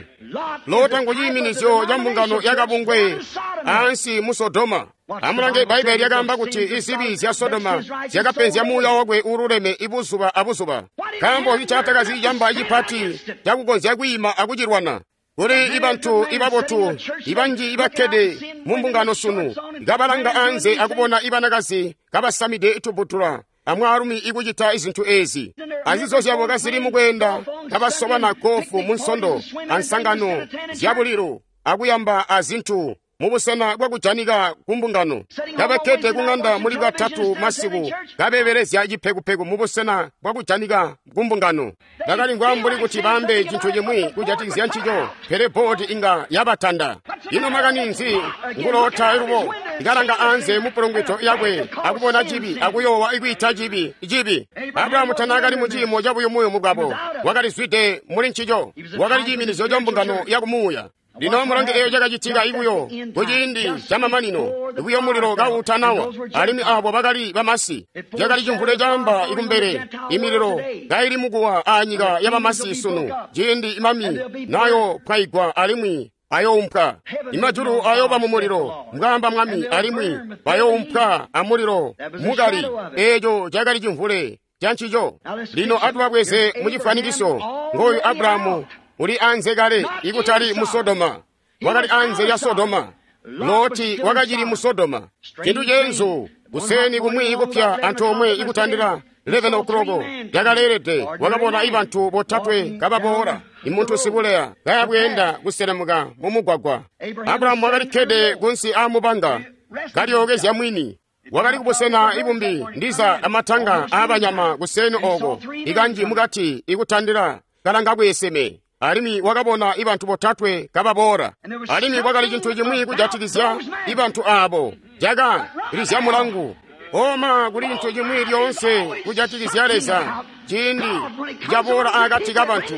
Lota ngu ciiminizyo ca mbungano yakabungwe ansi mu Sodoma. Amulange Bbaibbele lyakaamba kuti izibi zya Sodoma zyakapenzya muuya wakwe uululeme ibuzuba abuzuba, nkaambo icatakazi camba cipati cakukonzya kwiima akucilwana. Kuli ibantu ibabotu ibanji ibakkede mu mbungano sunu kabalanga anze akubona ibanakazi kabasamide tubutula amwaalumi ikucita izintu ezi, azizo zyabo kazili mukweenda kabasobana gofu mu nsondo ansangano zyabulilu akuyamba azintu mubusena bwakujanika ku mbungano, kabakkede ku ŋanda muli bwatatu masiku kabeebelezya cipekupeku mubusena bwakujanika ku mbungano. Bakalimvwa mbuli kuti baambe cintu cimwi kujatikizya ncico, pele boodi inga yabatanda. Ino makani nzi? Ngulota lubo ikalanga anze mupulungwito yakwe akubona cibi akuyoowa ikwiita cibi cibi. Abrahamu tanaakali mu ciimo cabuyumuyumu bwabo, wakalizwide muli ncico, wakali ciiminizyo ca mbungano yakumuuya. Lino mulange eyo cakacitika ibuyo kuciindi camamanino, ibuyo mulilo kawutanawa, alimwi abo bakali bamasi. Cakali cimvule camba ikumbele, imililo kaili mukuwa anyika yabamasi sunu, ciindi imami nayo pwaigwa alimwi ayoumpwa. Imajulu ayoba mu mulilo, mbwaamba Mwami, alimwi bayoumpwa amulilo mukali. Eeco cakali cimvule cancico. Lino atubabweze mucifwanikiso. Ngoyu Abrahamu uli anze kale, ikutali mu Sodoma. Wakali anze ya Sodoma. Loti wakacili mu Sodoma. Cintu ceenzu, kuseni kumwi ikupya antoomwe ikutandila eleven o'clock yakaleelede, wakabona ibantu botatwe kababoola, imuntu sibuleya kayabweenda kuselemuka mu mugwagwa. Abrahamu wakalikkede kunsi aamubanga kalyookezya mwini. Wakali kubusena ibumbi ndiza amatanga aabanyama kuseni oko, ikanji mukati ikutandila kalanga kweeseme. Alimwi wakabona ibantu botatwe kababoola, alimwi kwakali cintu cimwi kujatikizya ibantu abo caka lizya mulangu. Oma kuli cintu cimwi lyoonse kujatikizya Leza ciindi caboola akati kabantu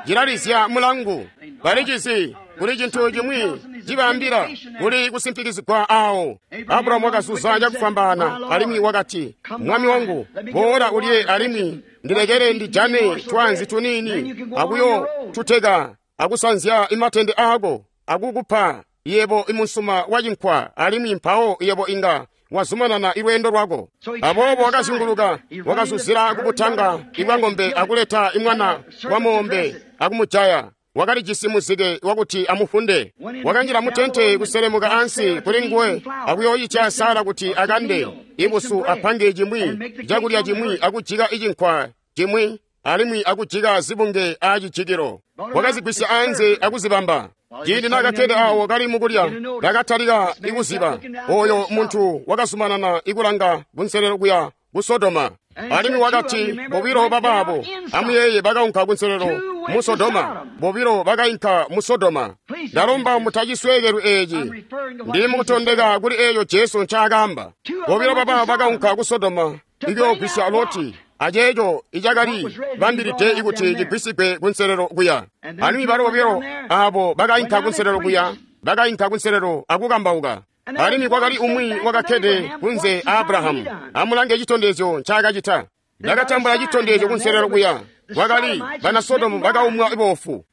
cilalizya mulangu. Balicizi kuli cintu cimwi cibaambila kuli kusimpikizigwa awo. Abrahamu wakazuza cakufwambaana alimwi wakati, Mwami wangu, boola ulye alimwi ndilekele ndijane twanzi tuniini akuyo tuteka akusanzya imatende aako akukupa yebo imusuma wa cinkwa, alimwi mpawo yebo inga wazumanana ilweendo lwako. Aboobo wakazunguluka, wakazuzila kubutanga ibwa ng'ombe akuleta imwana wa moombe akumujaya. Wakalijisi muzike wakuti amufunde. Wakanjila mutente kuselemuka ansi kuli nguwe akuyoyitya Sara kuti akande ibusu apange cimwi cakulya cimwi akujika icinkwa cimwi alimwi akujika zibunge aacijikilo. Wakazigwisya anze akuzibamba. Ciindi naakakkede awo kali mukulya, bakatalika ikuziba. Oyo muntu wakazumanana ikulanga kunselelo kuya ku Sodoma. Alimwi wakati, bobilo babaabo, amuyeeye, bakaunka kunselelo mu Sodoma. Bobilo bakainka mu Sodoma. Ndalomba mutacisweekelwi eeci. Ndili mukutondeka kuli eeyo Jesu ncaakaamba. Bobilo babaabo bakaunka ku Sodoma ikuyoogwisya Loti aceeco icakali bambilide ikuti cigwisigwe kunselelo kuya. Alimwi balo bobilo aabo bakainka kunselelo kuya, bakainka kunselelo akukambauka. Alimwi kwakali umwi wakakkede kunze a Abrahamu. Amulange citondezyo ncaakacita. Ndakatambula citondezyo kunselelo kuya. Kwakali bana Sodomu bakaumwa boofu.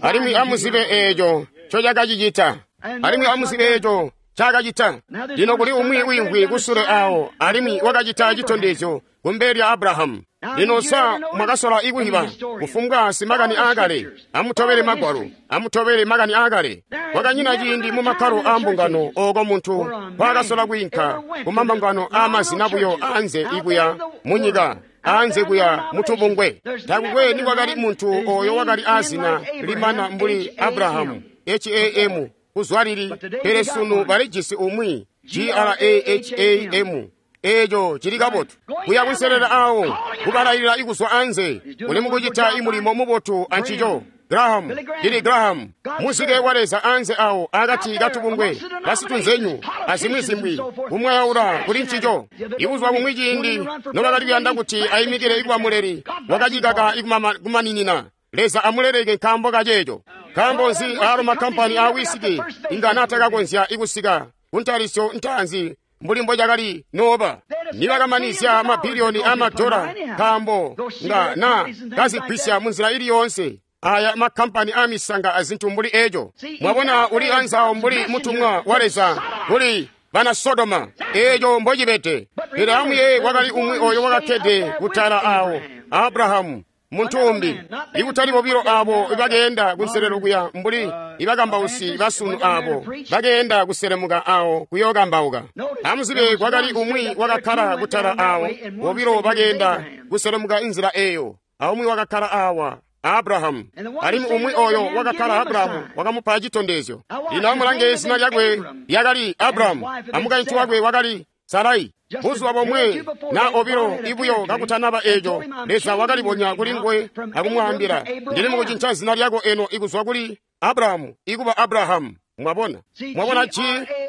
Alimwi amuzibe eeco ncocakacicita. Alimwi amuzibe eeco ncaakacita. Lino kuli umwi wiimvwi kusule awo, alimwi wakacita citondezyo kumbele lya Abrahamu. Lino sa mwakasola ikuhiba kufumbwa simakani aakale? Amutobele magwalo, amutobele makani aakale. Kwakanyina ciindi mu makkalo aambungano ooko muntu kwaakasola kwiinka kumambungano aamazina buyo anze ikuya munyika, anze kuya mutubungwe. Takukwe nikwakali muntu oyo wakali aazina limana mbuli Abrahamu, H A M, kuzwa lili, pele sunu balijisi umwi G R A H A M. Eeco cili kabotu. Kuya kunselelo awo, kubalayilila ikuzwa anze, uli mukucita imulimo mubotu ancico. Graham, Billy Graham, muzike wa Leza anze awo akati katubungwe, basitunzenyu, azimwi-zimwi, kumwayaula kuli ncico. Ibuzuba bumwi ciindi nobakali kuyanda kuti ayimikile ikuba muleli, wakacikaka ikumaninina. Leza amuleleke nkaambo kaceeco. Nkaambo nzi aalo makampani aa wisiki inga naatakakonzya ikusika kuntalisyo ntaanzi mbuli mbocakali nooba nibakamanizya mabiliyoni amadola, nkaambo nga na kazigwisya munzila ili yoonse Aya makampani amisanga azintu mbuli eco. Mwabona, uli anzawo mbuli mutumwa wa Leza kuli bana Sodoma. Eco mbocibede. Pele amuye wakali umwi oyo wakakkede kutala awo, Abrahamu, muntu umbi. Ikutali bobilo abo bakeenda kunselelo kuya mbuli ibakambausi basunu abo bakeenda kuselemuka awo kuyookambauka. Amuzibe kwakali umwi wakakkala kutala awo, bobilo bakeenda kuselemuka inzila eyo, aumwi wakakkala awa, Abrahamu. Alimwi umwi oyo wakakkala Abrahamu wakamupa citondezyo. Lino amulange, zina lyakwe lyakali Abrahamu, amukaintu wakwe wakali Sarai. Buzuba bomwe na obilo ibuyo kakutanaba eco, Leza wakalibonya kuli nguwe akumwaambila, ndili mukucinca zina lyako eno ikuzwa kuli Abrahamu ikuba Abrahamu. Mwabona, mwabona G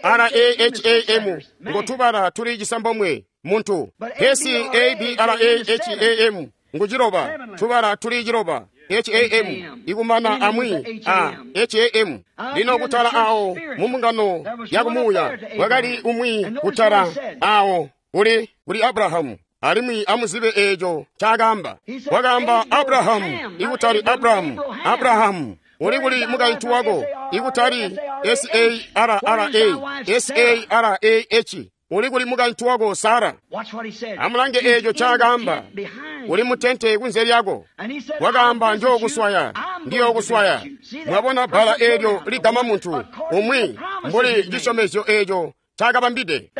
R A H A M ngotubala tuli cisambomwe muntu, S A B R A H A M nguciloba, tubala tuli ciloba, H A M ikumana amwi a H A M. Lino kutala awo mumbungano yakumuuya wakali umwi kutala awo kuli kuli Abrahamu. Alimwi amuzibe eco ncaakaamba. Wakaamba Abrahamu ikutali Abrahamu. Abrahamu uli kuli mukaintu wako ikutali S A R R A S A R A H. Uli kuli mukaintu wako Sara. Amulange eco ncaakaamba. Uli mutente kunze lyako. Wakaamba njookuswaya, ndiyookuswaya. Mwabona bbala eelyo ligama muntu umwi mbuli cisyomezyo eco ncaakabambide.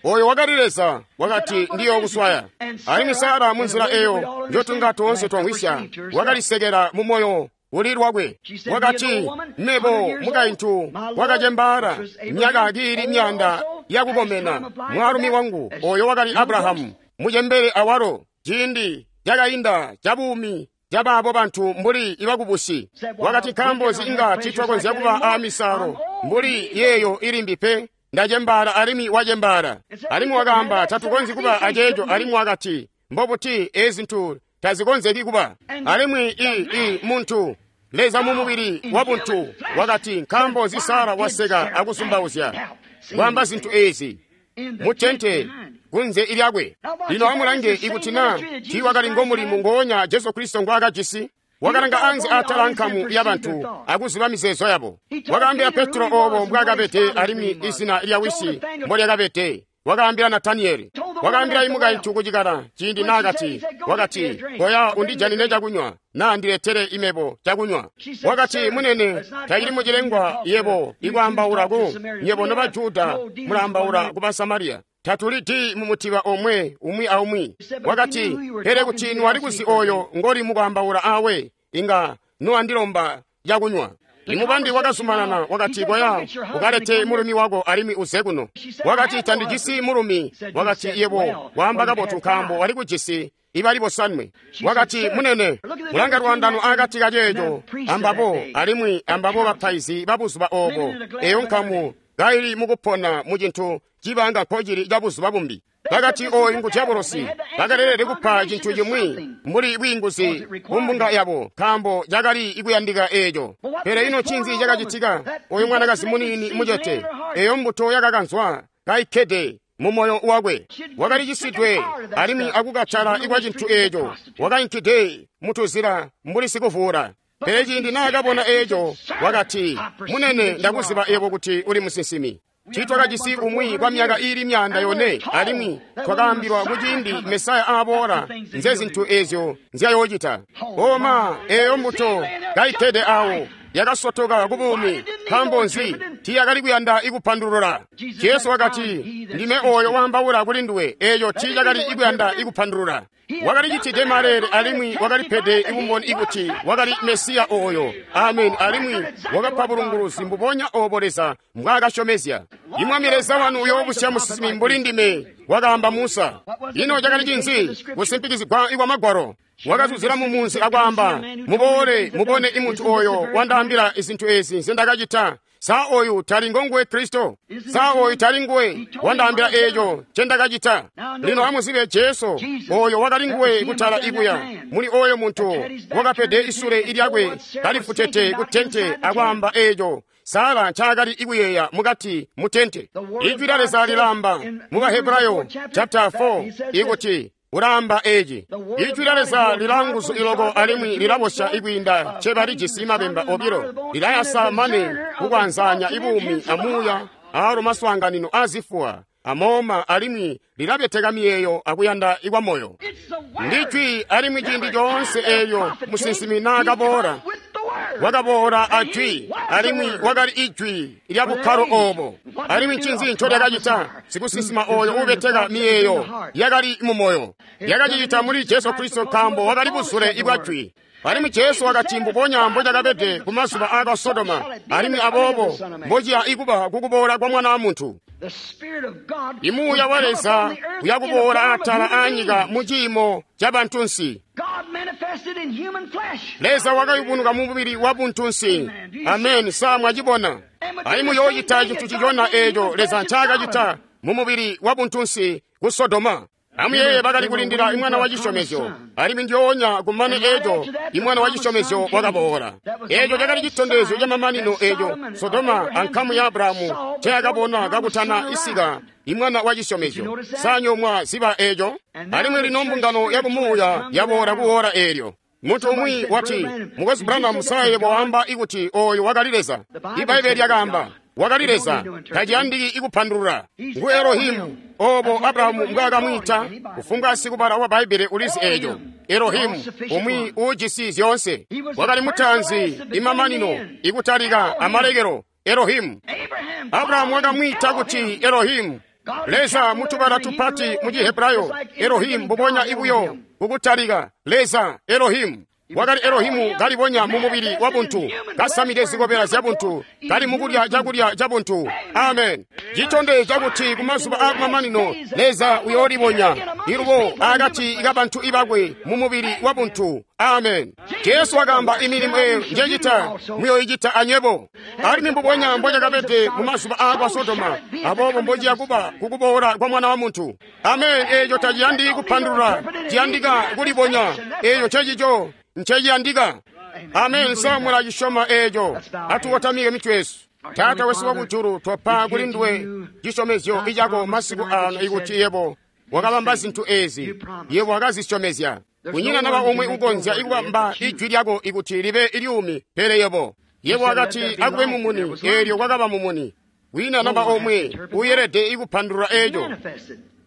Oyo wakali Leza wakati ndiyookuswaya. Alimwi Sara munzila eyo njotunga toonse twamwisya wakalisekela mu moyo uli lwakwe. Wakati, mebo mukaintu wakacembaala myaka kiili myanda yakukomena, mwaalumi wangu oyo wakali Abrahamu mucembele awalo, ciindi cakainda cabuumi cabaabo bantu mbuli ibakubusi. Wakati, nkaambo nzi inga tiitwakonzya kuba aamisalo mbuli yeeyo ilimbi pe? Ndacembaala alimwi wacembaala. Alimwi wakaamba, tatukonzyi kuba aceeco. Alimwi wakati, mbobuti ezi zintu tazikonzeki kuba. Alimwi i i muntu Leza mu mubili wa buntu wakati, nkaambo nzi Sara waseka akusumbauzya kwaamba zintu ezi mutente kunze ilyakwe. Lino amulange, ikuti na tiiwakali ngomulimu ngoonya Jesu Kristo ngwaakajisi. Wakalanga anze atala nkamu ya bantu akuziba mizeezo yabo. Wakaambila Petro obo mbwaakabede alimwi izina lya wisi mbolyakabede. Wakaambila Nataniyeli. Wakaambila imukaintu kucikala ciindi naakati, wakati, koya undijanine cakunywa, naa ndiletere imebo cakunywa. Wakati, munene, tacili mucilengwa yebo ikwaambaula ku nyebo noba Juda mulaambaula ku Basamariya. Tatuli di mumutiba omwe umwi aumwi. Wakati, pele kuti niwali kuzi oyo ngoli mukwaambaula awe, inga nuwandilomba cakunywa. Imubandi wakazumanana, wakati, koya ukalete mulumi wako alimwi uze kuno. Wakati, tandijisi mulumi. Wakati, yebo waamba kabotu nkaambo wali kujisi ibali bosanwe. Wakati, munene, mulanga lwandano akati kaceeco ambabo alimwi ambabo bapaizi babuzuba obo, eyo nkamu kaili mukupona mucintu cibanga nkocili cabuzuba bumbi. Bakati, oyu ngu diabolosi. Bakalelede kupa cintu cimwi mbuli bwiinguzi kumbunga yabo, nkaambo cakali ikuyandika eeco. Pele ino ncinzi cakacitika? Oyu mwanakazi muniini mucete, eyo mbuto yakakanzwa kaikkede mu moyo wakwe, wakali cisidwe alimwi akukatala ikwa cintu eeco, wakainkide mutuzila mbuli sikuvuula. Pele ciindi naakabona eeco, wakati, munene, ndakuziba yebo kuti uli musinsimi. Tiitwakajisi umwi kwa myaka iili myanda yone, alimwi twakaambilwa kuciindi Mesaya aaboola nze zintu ezyo nzyayoocita. Oma, eyo mbuto kaikkede awo yakasotoka ku buumi. Nkaambo nzi? Tiiyakali kuyanda ikupandulula. Jesu wakati, ndime oyo waambaula kuli nduwe. Eeyo tiiyakali ikuyanda ikupandulula. Wakali citide maleele alimwi wakalipede ibumboni ikuti wakali Mesiya oyo. Amen. Alimwi wakapa bulunguluzi mbubonya obo Leza mbwaakasyomezya. Imwami Leza wanu uyoobusya musinsimi mbuli ndime, wakaamba Musa. Ino cakali cinzi? Kusimpikizigwa ikwa Magwalo. Wakazuzila mumunzi akwaamba, muboole mubone imuntu oyo wandaambila izintu ezi nzendakacita. Sa oyu tali ngonguwe Kristo? Sa oyu tali nguwe wandaambila eeco ncendakacita? Lino amuzibe Jesu oyo wakali nguwe kutala ikuya muli oyo muntu wakapede isule ilyakwe kalifutete ku tente akwaamba eeco Sara ncaakali ikuyeeya mukati mu tente. Ijwi lya Leza lilaamba mu Bahebrayo chapter four ikuti Ulaamba eci. Ijwi lya Leza lilanguzu iloko alimwi lilabosya ikwiinda ncebalijisi mabemba obilo. Lilayasa mane kukwanzanya ibuumi amuuya aalo maswaanganino azifuwa amooma alimwi lilabeteka miyeeyo akuyanda ikwa moyo. Ndijwi alimwi ciindi coonse eelyo musinsimi naakaboola wakaboola ajwi alimwi wakali ijwi lya bukkalo oobo. Alimwi ncinzi ncolyakacita? Sikusinsima ooyo uubeteka miyeeyo yakali mumoyo yakacicita muli Jesu Kristo nkaambo wakali buzule ibwa jwi. Alimwi Jesu wakati mbubonya mbocakabede kumazuba aaka Sodoma, alimwi aboobo mbociya ikuba kukuboola kwa Mwana wa Muntu. Imuuya wa Leza uyakuboola atala aanyika mu ciimo ca bantunsi. Leza wakayubunuka mu mubili wa buntunsi. Amen. Sa mwacibona? Alimwi yoocita cintu cicona eeco Leza ncaakacita mu mubili wa buntunsi ku Sodoma. Amuyeeye bakali kulindila imwana wa cisyomezyo, alimwi ndyoonya kumane eeco imwana wa cisyomezyo wakaboola. Eeco cakali citondezyo camamanino eeco Sodoma ankamu ya Abrahamu nceyakabona kakutana isika imwana wa cisyomezyo. Sanyomwa ziba eeco? Alimwi lino mbungano yakumuuya yaboola kuwoola eelyo. Muntu umwi wati, Mukwesu Branham, saye waamba ikuti ooyo wakali Leza. Ibaibbele lyakaamba wakali Leza, taciyandiki ikupandulula. Ngu Elohimu, oobo Abrahamu mbwaakamwiita. Kufumbwa sikubala wa Baibbele ulizi eeco. Elohimu, umwi uujisi zyoonse. Wakali mutaanzi, imamanino, ikutalika, amalekelo. Elohimu. Abrahamu wakamwiita kuti Elohimu. Leza mutubala tupati mu Chihebrayo, Elohimu mbubonya ibuyo kukutalika. Leza, Elohimu. Wakali Elohimu kalibonya mu mubili wa buntu, kasamide zikobela zya buntu, kali mukulya cakulya ca buntu. Amen. Citondezya kuti kumazuba aakumamanino Leza uyoolibonya ilubo akati kabantu ibakwe mu mubili wa buntu. Amen. Jesu wakaamba imilimo eyo njecita muyoicita anywebo. Alimwi mbubonya mbocakabede mu mazuba aakwa Sodoma, aboobo mbociya kuba kukuboola kwa Mwana wa Muntu. Amen. Eeco taciyandiki kupandulula, ciyandika kulibonya. Eeco ncecico nceciyandika. Amen. Sa mulacisyoma eeco? Atukotamike mitwe yesu. Taata wesu wakujulu, twapa kuli nduwe cisyomezyo icako masiku ano ikuti yebo wakabamba zintu eezi, yebo wakazisyomezya. Kunyina naba omwe ukonzya ikubamba ijwi lyako ikuti libe ilyumi, pele yebo. Yebo wakati akube mumuni, eelyo kwakaba mumuni. Kwiina naba omwe uyelede ikupandulula eeco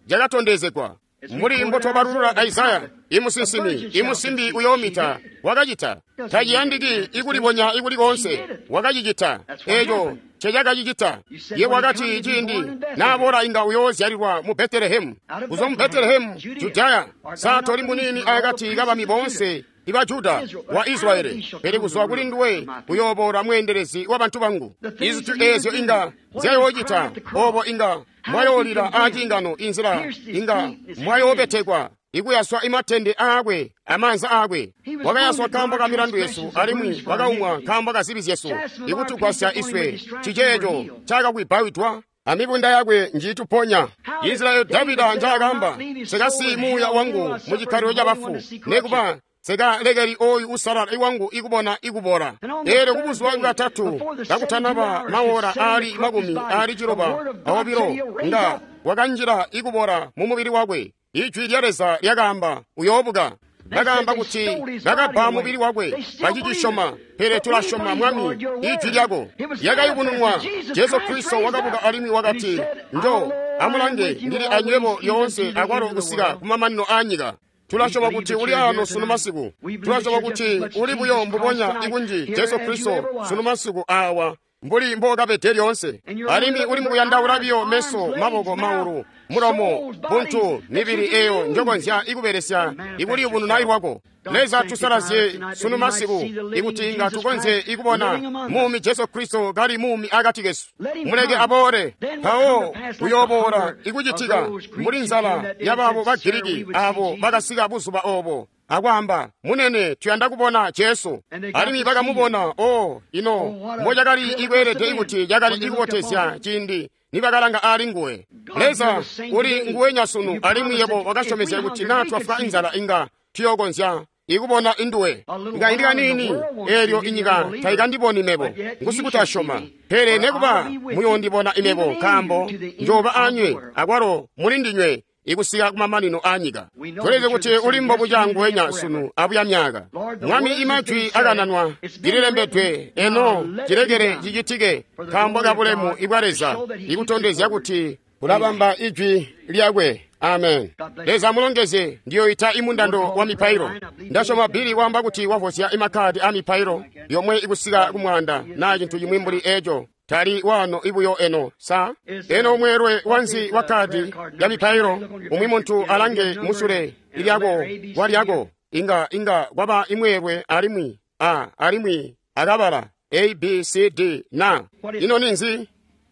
cakatondezegwa. Mbuli mbotwabalulula Isaya, imusinsimi, imusimbi uyoomita, wakacita. Taciyandiki ikulibonya ikuli koonse, wakacicita. Eeco ncecakacicita. Yebo wakati ciindi naaboola inga uyoozyalilwa mu Betelehemu. Kuzwa mu Betelehemu, Judaya, sa toli muniini akati kabami boonse iba Juda wa Israeli, pele kuzwa kuli nduwe uyooboola mweendelezi wa bantu bangu. Izintu eezyo inga zyayoocita, oobo inga mwayoolila aacingano inzila inga mwayoobetekwa ikuyaswa imatende aakwe amaanza aakwe. Wakayaswa nkaambo ka milandu yesu, alimwi wakaumwa nkaambo ka zibi zyesu, ikutugwasya iswe. Ciceeco cakakwibawidwa amibunda yakwe njiituponya. Israeli Davida ncaakaamba, nsikasiyi muuya wangu mu cikkalilo cabafu, nekuba nsikalekeli oyu usalala iwangu ikubona ikubola. Eelyo kubuzuba bwatatu kakutanaba mawola aali makumi aali ciloba aobilo nga wakanjila ikubola mu mubili wakwe. Ijwi lya Leza lyakaamba uyoobuka. Bakaamba kuti bakabba mubili wakwe, bacicisyoma, pele tulasyoma Mwami ijwi lyako. Lyakayubununwa. Jesu Kristo wakabuka alimwi wakati, njo amulange, ndili anywebo lyoonse akwalo kusika kumamanino aanyika. Tulasyoma kuti uli ano sunu masiku. Tulasyoma kuti uli buyo mbubonya ikunji Jesu Kristo sunu masiku awa mbuli mbokabede lyoonse. Alimwi uli mukuyandaula biyo meso, maboko, maulu, mulomo, buntu, mibili eyo njokonzya ikubelesya ikuliyubununa lwako. Leza tusalazye sunu masiku ikuti inga tukonzye ikubona muumi Jesu Kristo kali muumi akati kesu. Muleke aboole, mpawo uyooboola ikucitika mbuli nzala yabaabo ba Giriki abo bakasika buzuba oobo akwaamba, munene, tuyanda kubona Jesu. Alimwi bakamubona. O ino mbocakali ikweelede ikuti cakali ikubotezya ciindi nibakalanga aali nguwe. Leza uli nguwenya sunu, alimwi yebo wakasyomezya kuti naa twafwa inzala inga tuyokonzya ikubona induwe. Ngaindi kaniini eelyo inyika tayikandiboni mebo, ngusikutasyoma. Pele nekuba muyoondibona imebo, nkaambo njooba anywe akwalo mulindinywe ikusika kumamanino aanyika. Tulizi kuti uli mbobuca nguwenya sunu abuya myaka. Mwami, imajwi akananwa lililembedwe eno cilekele cicitike nkaambo kabulemu ibwa Leza ikutondezya kuti kulabamba ijwi lyakwe. Amen. Leza mulongeze. Ndiyoita imundando wa mipailo. Ndasyoma Bili waamba kuti wavozya imakhadi a mipailo yomwe ikusika kumwanda na cintu chimwi mbuli eco. Tali wano ibuyo eno sa eno mweelwe wanzi wa khadi ya mipailo umwi muntu alange musule ilyako walyako inga inga kwaba imweelwe alimwi a alimwi akabala A B C D na ino ninzi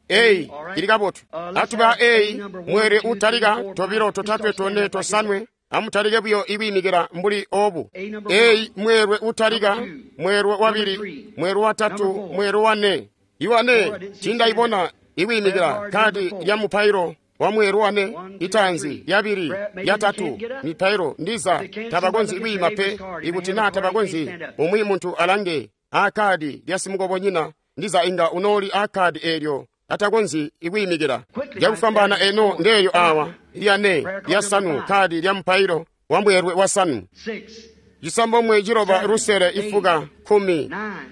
A ili kabotu. Atuba A mwere utalika tobilo totatwe tone tosanwe amutalike buyo ibimikira mbuli obu. A mwerwe utalika mwerwe wabili mwerwe watatu mwerwe wane iwane tindaibona iwimikira kadi ya mupailo wa mwerwe wane itanzi yabili yatatu mipailo ndiza tabakonzi iwima pe ikuti na tabakonzi umwi muntu alange akadi lya simukobonyina ndiza inga unoli akadi elyo atakonzi ikwiyimikira lyakufambana eno ndeyo awa lyane lyasanu khadi lya mpailo wa mbwerwe wasanu cisambomwe ciloba lusele ifuka khumi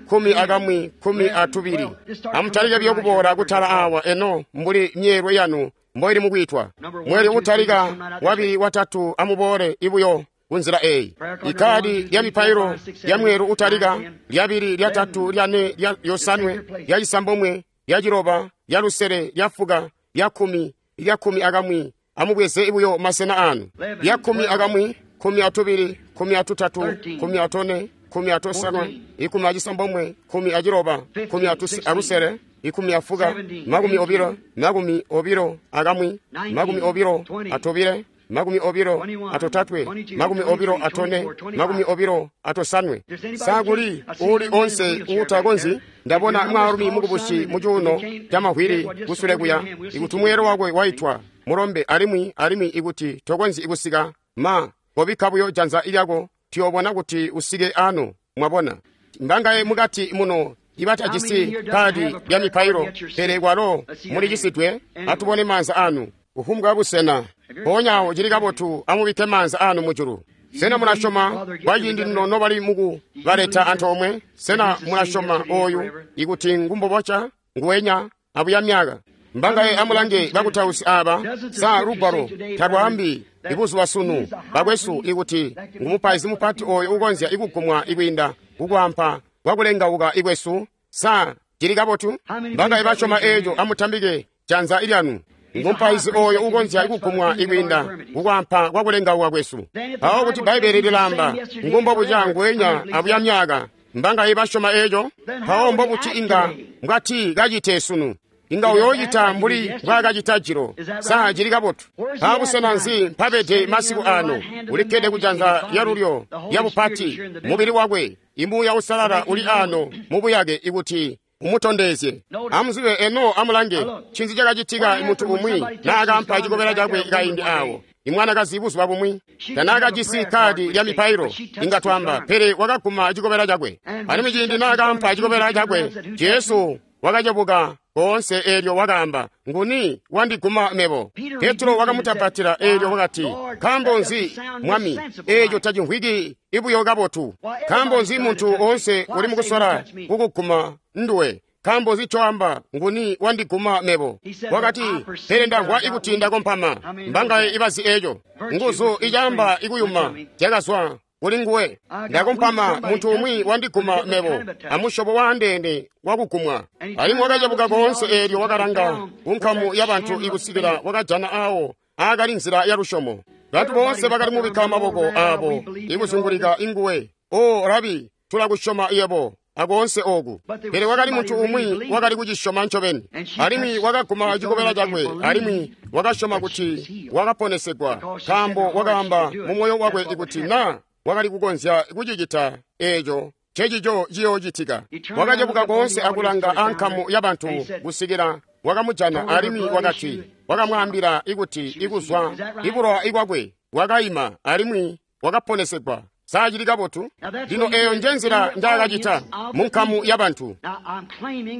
khumi akamwi khumi atubili. Amutalike buyo kuboola kutala awa eno mbuli myeelwe yanu mboili mukwitwa. Mweli utalika wabili watatu amuboole ibuyo kunzila eyi. Ikhadi lya mipailo lya mweelu utalika lyabili lyatatu lyane lya yosanwe lya cisambomwe lya ciloba lya lusele lya fuka lya khumi lya khumi akamwi amubweze ibuyo masena anu lya khumi akamwi khumi atubili khumi atutatu khumi atone khumi atosanwe ikumi acisambomwe khumi aciloba khumi alusele ikumi afuka makumi obilo makumi obilo akamwi makumi obilo atobile makumi obilo atotatwe makumi obilo atone makumi obilo atosanwe. Sakuli uli onse utakonzi ndabona mwaalumi mukubusi mucuuno camahwili kusule kuya ikuti mweelo wakwe waitwa mulombe alimwi alimwi ikuti tokonzi ikusika ma kobikka buyo janza ilyako tuyobona kuti usike ano. Mwabona mbangaye mukati muno ibatajisi kadi lya mipailo pele kwalo mulicisidwe. Atubone maanza anu kufumbwa busena mpoonya cili kabotu amubikke maanza anu mujulu. Sena mulasyoma kwaciindi lino nobali muku baleta antoomwe? Sena mulasyoma oyu ikuti ngumboboca nguwenya abuya myaka? Mbangaye amulange bakutausi aba sa lugwalo talwaambi ibuzuba sunu bakwesu ikuti ngumupaizi mupati oyo ukonzya ikugumwa ikwiinda kukwampa kwakulengauka ikwesu? Sa cili kabotu? Mbangaye basyoma eeco amutambike janza ilyanu. Ngumupaizi oyo ukonzya ikugumwa ikwiinda kukwampa kwakulengauka kwesu. Awo kuti Bbaibeli lilamba ngumbobuca nguwenya abuya myaka. Mbangaye basyoma eeco? Mpawo mbobuti inga mbwati kacite sunu? Inga uyoocita mbuli mbwaakacita jilo. Sa cili kabotu? Mpaabusena nzi mpabede masiku ano? Ulikkede kujanza lyalulyo lyabupati mubili wakwe. Imuuya usalala uli ano mubuyake ikuti umutondezye. Amuzibe eno amulange ncinzi cakacitika muntu umwi naakampa cikobela cakwe kaindi awo. Imwanakazi buzuba bumwi tanaakajisi kadi lya mipailo inga twamba, pele wakaguma cikobela cakwe. Alimwi ciindi naakampa cikobela cakwe, Jesu wakacebuka koonse eelyo wakaamba, nguni wandiguma mebo? Petro wakamutapatila eelyo wakati, nkaambo nzi Mwami, eeco tacimvwiki ibuyo kabotu? Nkaambo nzi muntu oonse uli mukusola kukuguma nduwe? Nkaambo nzi coamba nguni wandiguma mebo? Wakati, pele ndamvwa ikuti ndakompama. Mbangaye ibazi eeco? Nguzu icaamba ikuyuma zyakazwa kuli nguwe. Ndakompama, muntu umwi wandiguma mebo, amusyobo waandeene wakugumwa. Alimwi wakacebuka koonse eelyo wakalanga kunkamu yabantu ikusikila wakajana awo aakali nzila ya lusyomo. Bantu boonse bakali mubikka maboko aabo ikuzungulika inguwe. O Rabi, tulakusyoma yebo akoonse oku. Pele wakali muntu umwi wakali kucisyoma ncobeni, alimwi wakaguma cikobela cakwe, alimwi wakasyoma kuti wakaponesegwa, nkaambo wakaamba mumoyo wakwe ikuti na wakali kukonzya kucicita eeco cecico ciyoocitika. Wakacebuka koonse akulanga ankamu yabantu kusikila wakamujana, alimwi wakati wakamwaambila ikuti ikuzwa ibulowa ikwakwe wakaima alimwi wakaponesegwa. Sa cili kabotu? Lino eyo nje nzila njaakacita mu nkamu ya bantu.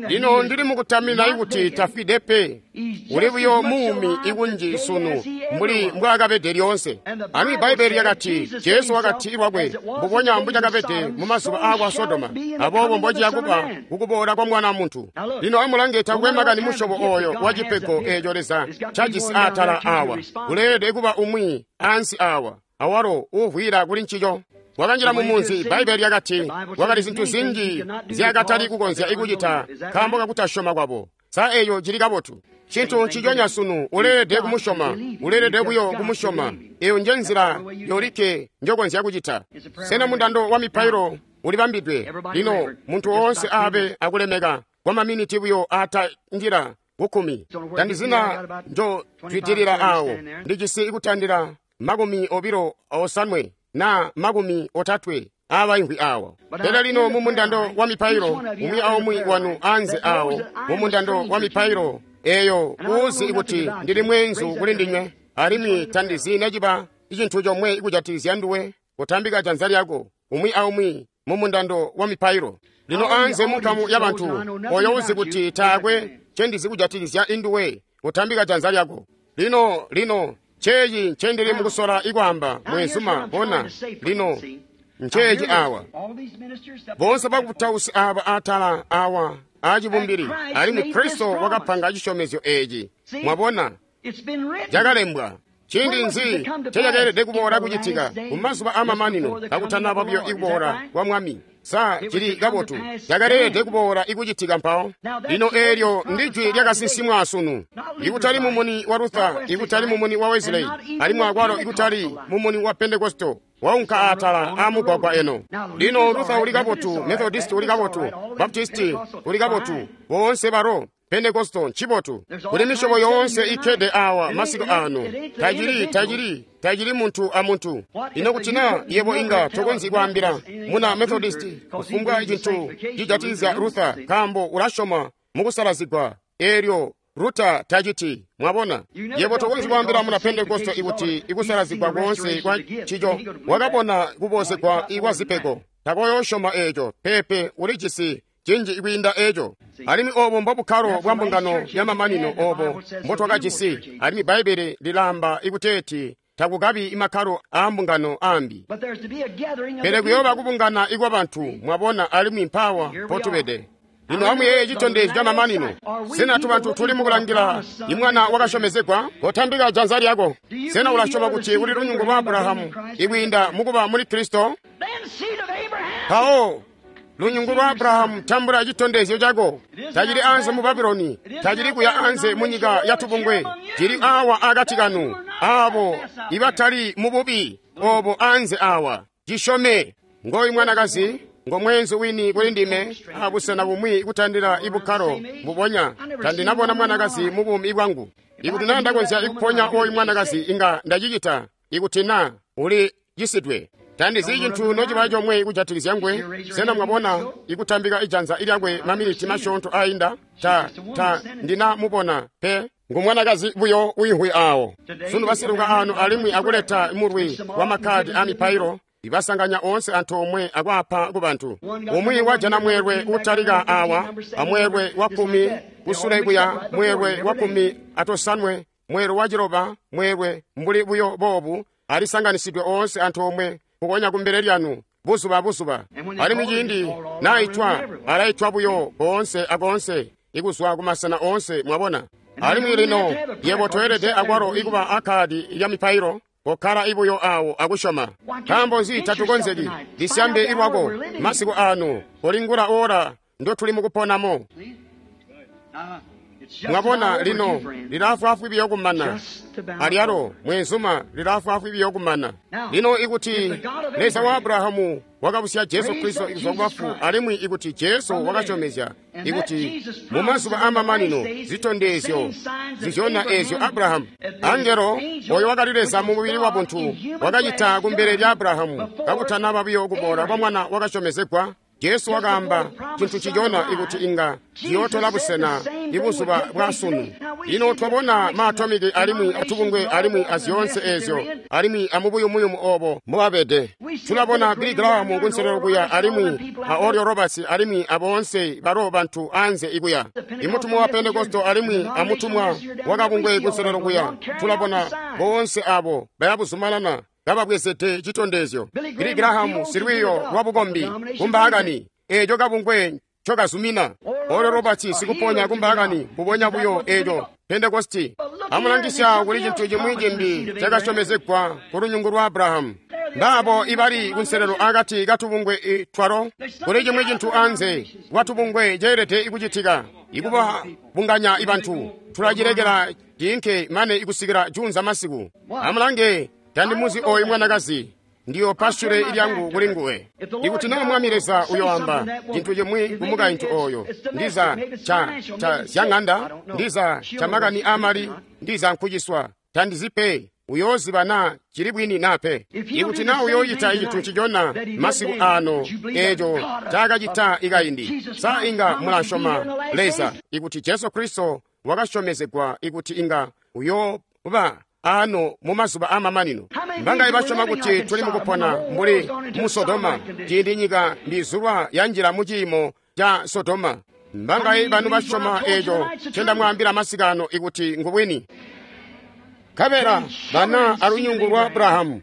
Lino ndili mukutamina ikuti tafwide pe. Uli buyo muumi ikunji sunu mbuli mbwaakabede lyoonse. Alimwi Bbaibbele lyakati, Jesu wakati lwakwe, mbubonya mbucakabede mu mazuba aakwa Sodoma, aboobo mbociya kuba kukuboola kwa Mwana muntu. Lino amulange, takwe makani musyobo oyo wa cipego eeco Leza cajisi aatala awa. Kuleelede kuba umwi ansi awa, awalo uuvwila kuli ncico. Wakanjila mu munzi, Bbaibbele lyakati, kwakali zintu zinji nzyaakatali kukonzya ikucita nkaambo kakutasyoma kwabo. Sa eyo cili kabotu? Cintu nciconya sunu, uleelede kumusyoma, uleelede buyo kumusyoma. Eyo nje nzila yolikke njokonzya kucita. Sena mundando wa mipailo ulibambidwe? Lino muntu woonse aabe akulemeka kwa maminiti buyo aatandila kukkumi. Tandizina njo twidilila awo, ndijisi kutandila makumi obilo osanwe na makumi otatwe abaimvwi awo. Pele lino mu mundando wa mipailo, umwi aumwi wanu anze awo mu mundando wa mipailo eyo uzi kuti ndili mweenzu kuli ndinywe, alimwi tandizi neciba icintu comwe kujatikizya nduwe, kutambika janza lyako umwi aumwi mu mundando wa mipailo. Lino anze mu nkamu ya bantu, oyo uzi kuti taakwe ncendizi kujatikizya induwe, kutambika janza lyako. Lino lino nceeci ncendili mukusola ikwaamba, mwenzuma, bona. Lino nceeci awa, boonse bakutausi aaba atala awa aacibumbili, alimwi Kristo wakapanga cisyomezyo eeci. Mwabona, cakalembwa. Ciindi nzi ncecakeelede kuboola kucitika? Mu mazuba aamamanino, kakutanaba buyo ikuboola kwa Mwami. Sa cili kabotu? Cakaleelede kuboola ikucitika mpawo. Lino eelyo ndijwi lyakasinsimwa sunu. Ikutali mumuni wa Luther, ikutali mumuni wa Wesley, alimwi akwalo ikutali mumuni wa Pentekosto, waunka aatala aamugwagwa eno. Lino Luther uli kabotu, Methodist uli kabotu, Baptist uli kabotu, boonse balo Pentekosto ncibotu. Kuli misyobo yoonse ikkede awa masiku ano. Tacili, tacili, tacili muntu amuntu. Ino kuti na yebo inga tokonzyi kwaambila muna Methodist kufumbwa cintu cijatikizya Luther, nkaambo ulasyoma mukusalazigwa, eelyo Luther taciti. Mwabona, yebo tokonzyi kwaambila muna Pentekosto ikuti ikusalazigwa koonse kwa ncico. Wakabona kubozegwa ikwa zipego, takoyoosyoma eeco. Peepe, ulijisi cinji kwiinda eeco. Alimwi obo mbobukkalo bwa mbungano ya mamanino obo mbotwakajisi. Alimwi Bbaibbele lilaamba ikuteeti takukabi imakkalo aa mbungano ambi, pele kuyooba kubungana ikwa bantu. Mwabona, alimwi mpawa potubede. Lino amuyeeye citondezyo ca mamanino. Sena tubantu tuli mukulangila imwana wakasyomezegwa? Kotambika janza lyako. Sena ulasyoma kuti uli lunyungu lwa Abrahamu ikwiinda mukuba muli Kristo? Mpawo lunyungu lwa Abrahamu, tambula citondezyo cako. Tacili anze mu Babuloni, tacili kuya anze mu nyika ya tubungwe, cili awa akati kanu, abo ibatali mu bubi obo anze awa. Cisyome. Ngoyu mwanakazi ngo mweenzu wini kuli ndime, abusena bumwi kutandila ibukkalo mbubonya. Tandinabona mwanakazi mu buumi bwangu. Ikuti na ndakonzya ikuponya oyu mwanakazi, inga ndacicita. Ikuti na uli cisidwe, tandizi cintu nociba comwe kujatikizya ngwe. Sena mwabona ikutambika ijanza lyakwe maminiti masyoonto ainda? Ta, ta ndina mubona pe. Ngu mwanakazi buyo wiimvwi awo. Sunu basiluka ano alimwi akuleta mulwi wa makkadi a mipailo, ibasanganya oonse antoomwe akwaapa ku bantu. Umwi wajana mweelwe utalika awa, amweelwe wa kkumi kusule kuya, mweelwe wa kkumi atosanwe, mweelwe wa ciloba, mweelwe mbuli buyo boobu, alisanganisidwe oonse antoomwe kukonya kumbele lyanu buzuba buzuba. Alimwi ciindi naitwa, alaitwa buyo koonse akoonse, ikuzwa kumasena oonse. Mwabona. Alimwi lino yebo toelede akwalo ikuba akadi lya mipailo, kokkala ibuyo awo akusyoma. Nkaambo nzi tatukonzeki? Lisyambe ilwako masiku ano, kolingula ora ndotuli mukuponamo. Mwabona, lino lilafwafwi biyo kumana. Alyalo mwenzuma lilafwafwi biyo kumana. Lino ikuti Leza wa Abrahamu wakabusya Jesu Kristo kuzwa kubafu, alimwi ikuti Jesu wakasyomezya ikuti mu mazuba aamamanino zitondezyo zizyona eezyo Abrahamu, angelo oyo wakali Leza mu mubili wa buntu, wakacita kumbele lya Abrahamu kakutanaba buyo kuboola kwa mwana wakasyomezegwa. Jesu wakaamba cintu cicona ikuti inga ciyootola busena ibuzuba bwa sunu. Lino twabona maatomiki alimwi atubungwe alimwi azyoonse eezyo alimwi amubuyumuyumu oobo mbobabede. Tulabona Billy Graham kunselelo kuya alimwi a Oral Roberts alimwi aboonse balo bantu anze ikuya. Imutumwa wa Pentekosto alimwi amutumwa wakabungwe kunselelo kuya. Tulabona boonse abo bayabuzumanana kababwezede citondezyo. Billy Graham silwiiyo lwa bukombi kumbaakani eeco kabungwe ncokazumina. Oral Roberts sikuponya kumbaakani mbubonya buyo eeco Pentekosti. Amulangisya kuli cintu cimwi cimbi cakasyomezegwa ku lunyungu lwa Abrahamu. Mbaabo ibali kunselelo akati katubungwe twalo. Kuli cimwi cintu anze lwatubungwe ceelede kucitika ikubabunganya ibantu. Tulacilekela ciinke mane ikusikila juunza masiku. Amulange, tandimuzi oyu mwanakazi, ndiyo pashure ilyangu kuli nguwe. Ikuti naa Mwami Leza uyoamba cintu cimwi ku mukaintu oyo, ndiza ca ca zyang'anda, ndiza ca makani aamali, ndiza nkuciswa, tandizipe, uyooziba naa cili bwini naa pe. Ikuti naa uyooyita cintu ncicona masiku ano eeco cakacita ikaindi, sa inga mulasyoma Leza ikuti Jesu Kristo wakasyomezegwa ikuti inga uyooba ano mumazuba amamanino? Mbangaye basyoma kuti tuli mukupona mbuli mu Sodoma, ciindi nyika mbizulwa yanjila mu ciimo ca Sodoma? Mbangaye banu basyoma eeco ncendamwaambila masikano ikuti ngubwini? Nkabela bana alunyungu lwa Abrahamu,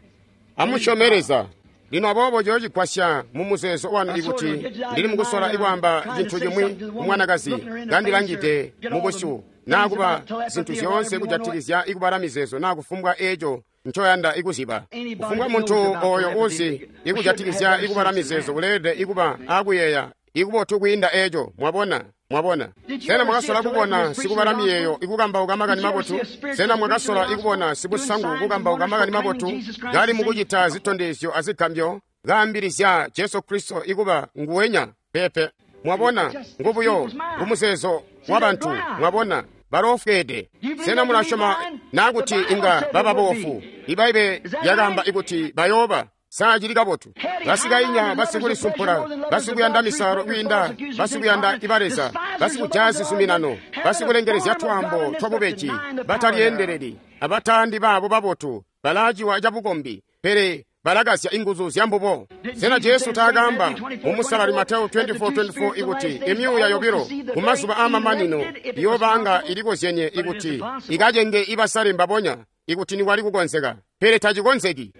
amusyome Leza. Lino aboobo ciyocigwasya mu muzeezo wanu ikuti ndili mukusola ikwaamba cintu cimwi kumwanakazi kandilangide mubusyu, naa kuba zintu zyoonse kujatikizya ikubala mizeezo naa kufumbwa eeco ncoyanda ikuzyiba. Kufumbwa muntu oyo uzi ikujatikizya ikubala mizeezo uleelede ikuba akuyeeya ikubotu kwiinda eeco. Mwabona? Mwabona? Sena mwakasola kubona sikubala miyeeyo ikukambauka makani mabotu? Sena mwakasola ikubona sibusangu kukambauka makani mabotu kali mukucita zitondezyo azigambyo kaambilizya Jesu Kristo ikuba nguwenya? Pepe. Mwabona, ngubuyo ngumuzeezo wabantu. Mwabona, baloofweede. Sena mulasyoma naa kuti inga baba boofu? Ibaibe lyakaamba ikuti bayooba. Sa cili kabotu? Basikainya, basikulisumpula, basikuyanda misalo kwiinda basikuyanda ibaleza, basikujaya zizuminano, basikulengelezya twaambo twabubeji, batalyeendeleli, abatandi baabo babotu, balaaciwa cabukombi, pele balakazya inguzu zyambubo. Sena Jesu taakaamba mu Musalali Mateyo twenty-four twenty-four ikuti imyuuya yobilo kumazuba aamamanino iyoobanga ilikozyenye ikuti ikacenge ibasale mbabonya ikuti nikwali kukonzeka? Pele tacikonzeki.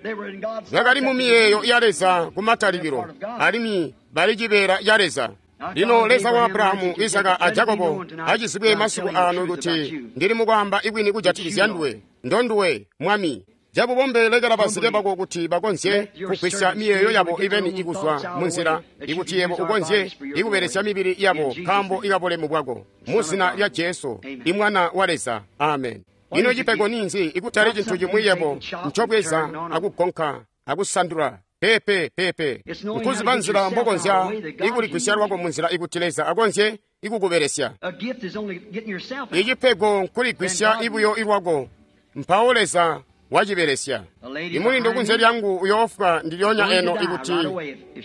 Bakali mu miyeeyo ya Leza kumatalikilo, alimwi bali cibeela ca Leza. Lino Leza wa Abrahamu, Isaka a Jakobo acizibwe masiku ano kuti ndili mukwaamba ibwini kujatikizya nduwe, ndonduwe Mwami. Cabubombe lekela bazike bako kuti bakonzye kugwisya miyeeyo yabo ibeni ikuzwa munzila, ikuti yebo ukonzye ikubelesya mibili yabo nkaambo ikabulemu bwako. Mu zina lya Jesu, Imwana wa Leza. Amen. Ino cipego ninzi ikutali cintu cimwi yebo ncobweza akugonka akusandula? Pepe, pepe. Nkuziba nzila mbokonzya ikuligwisya lwako munzila ikuti Leza akonzye ikukubelesya. Icipego nkuligwisya ibuyo ilwako, mpawo Leza wacibelesya. Imulindu kunze lyangu uyoofwa ndilyonya eno ikuti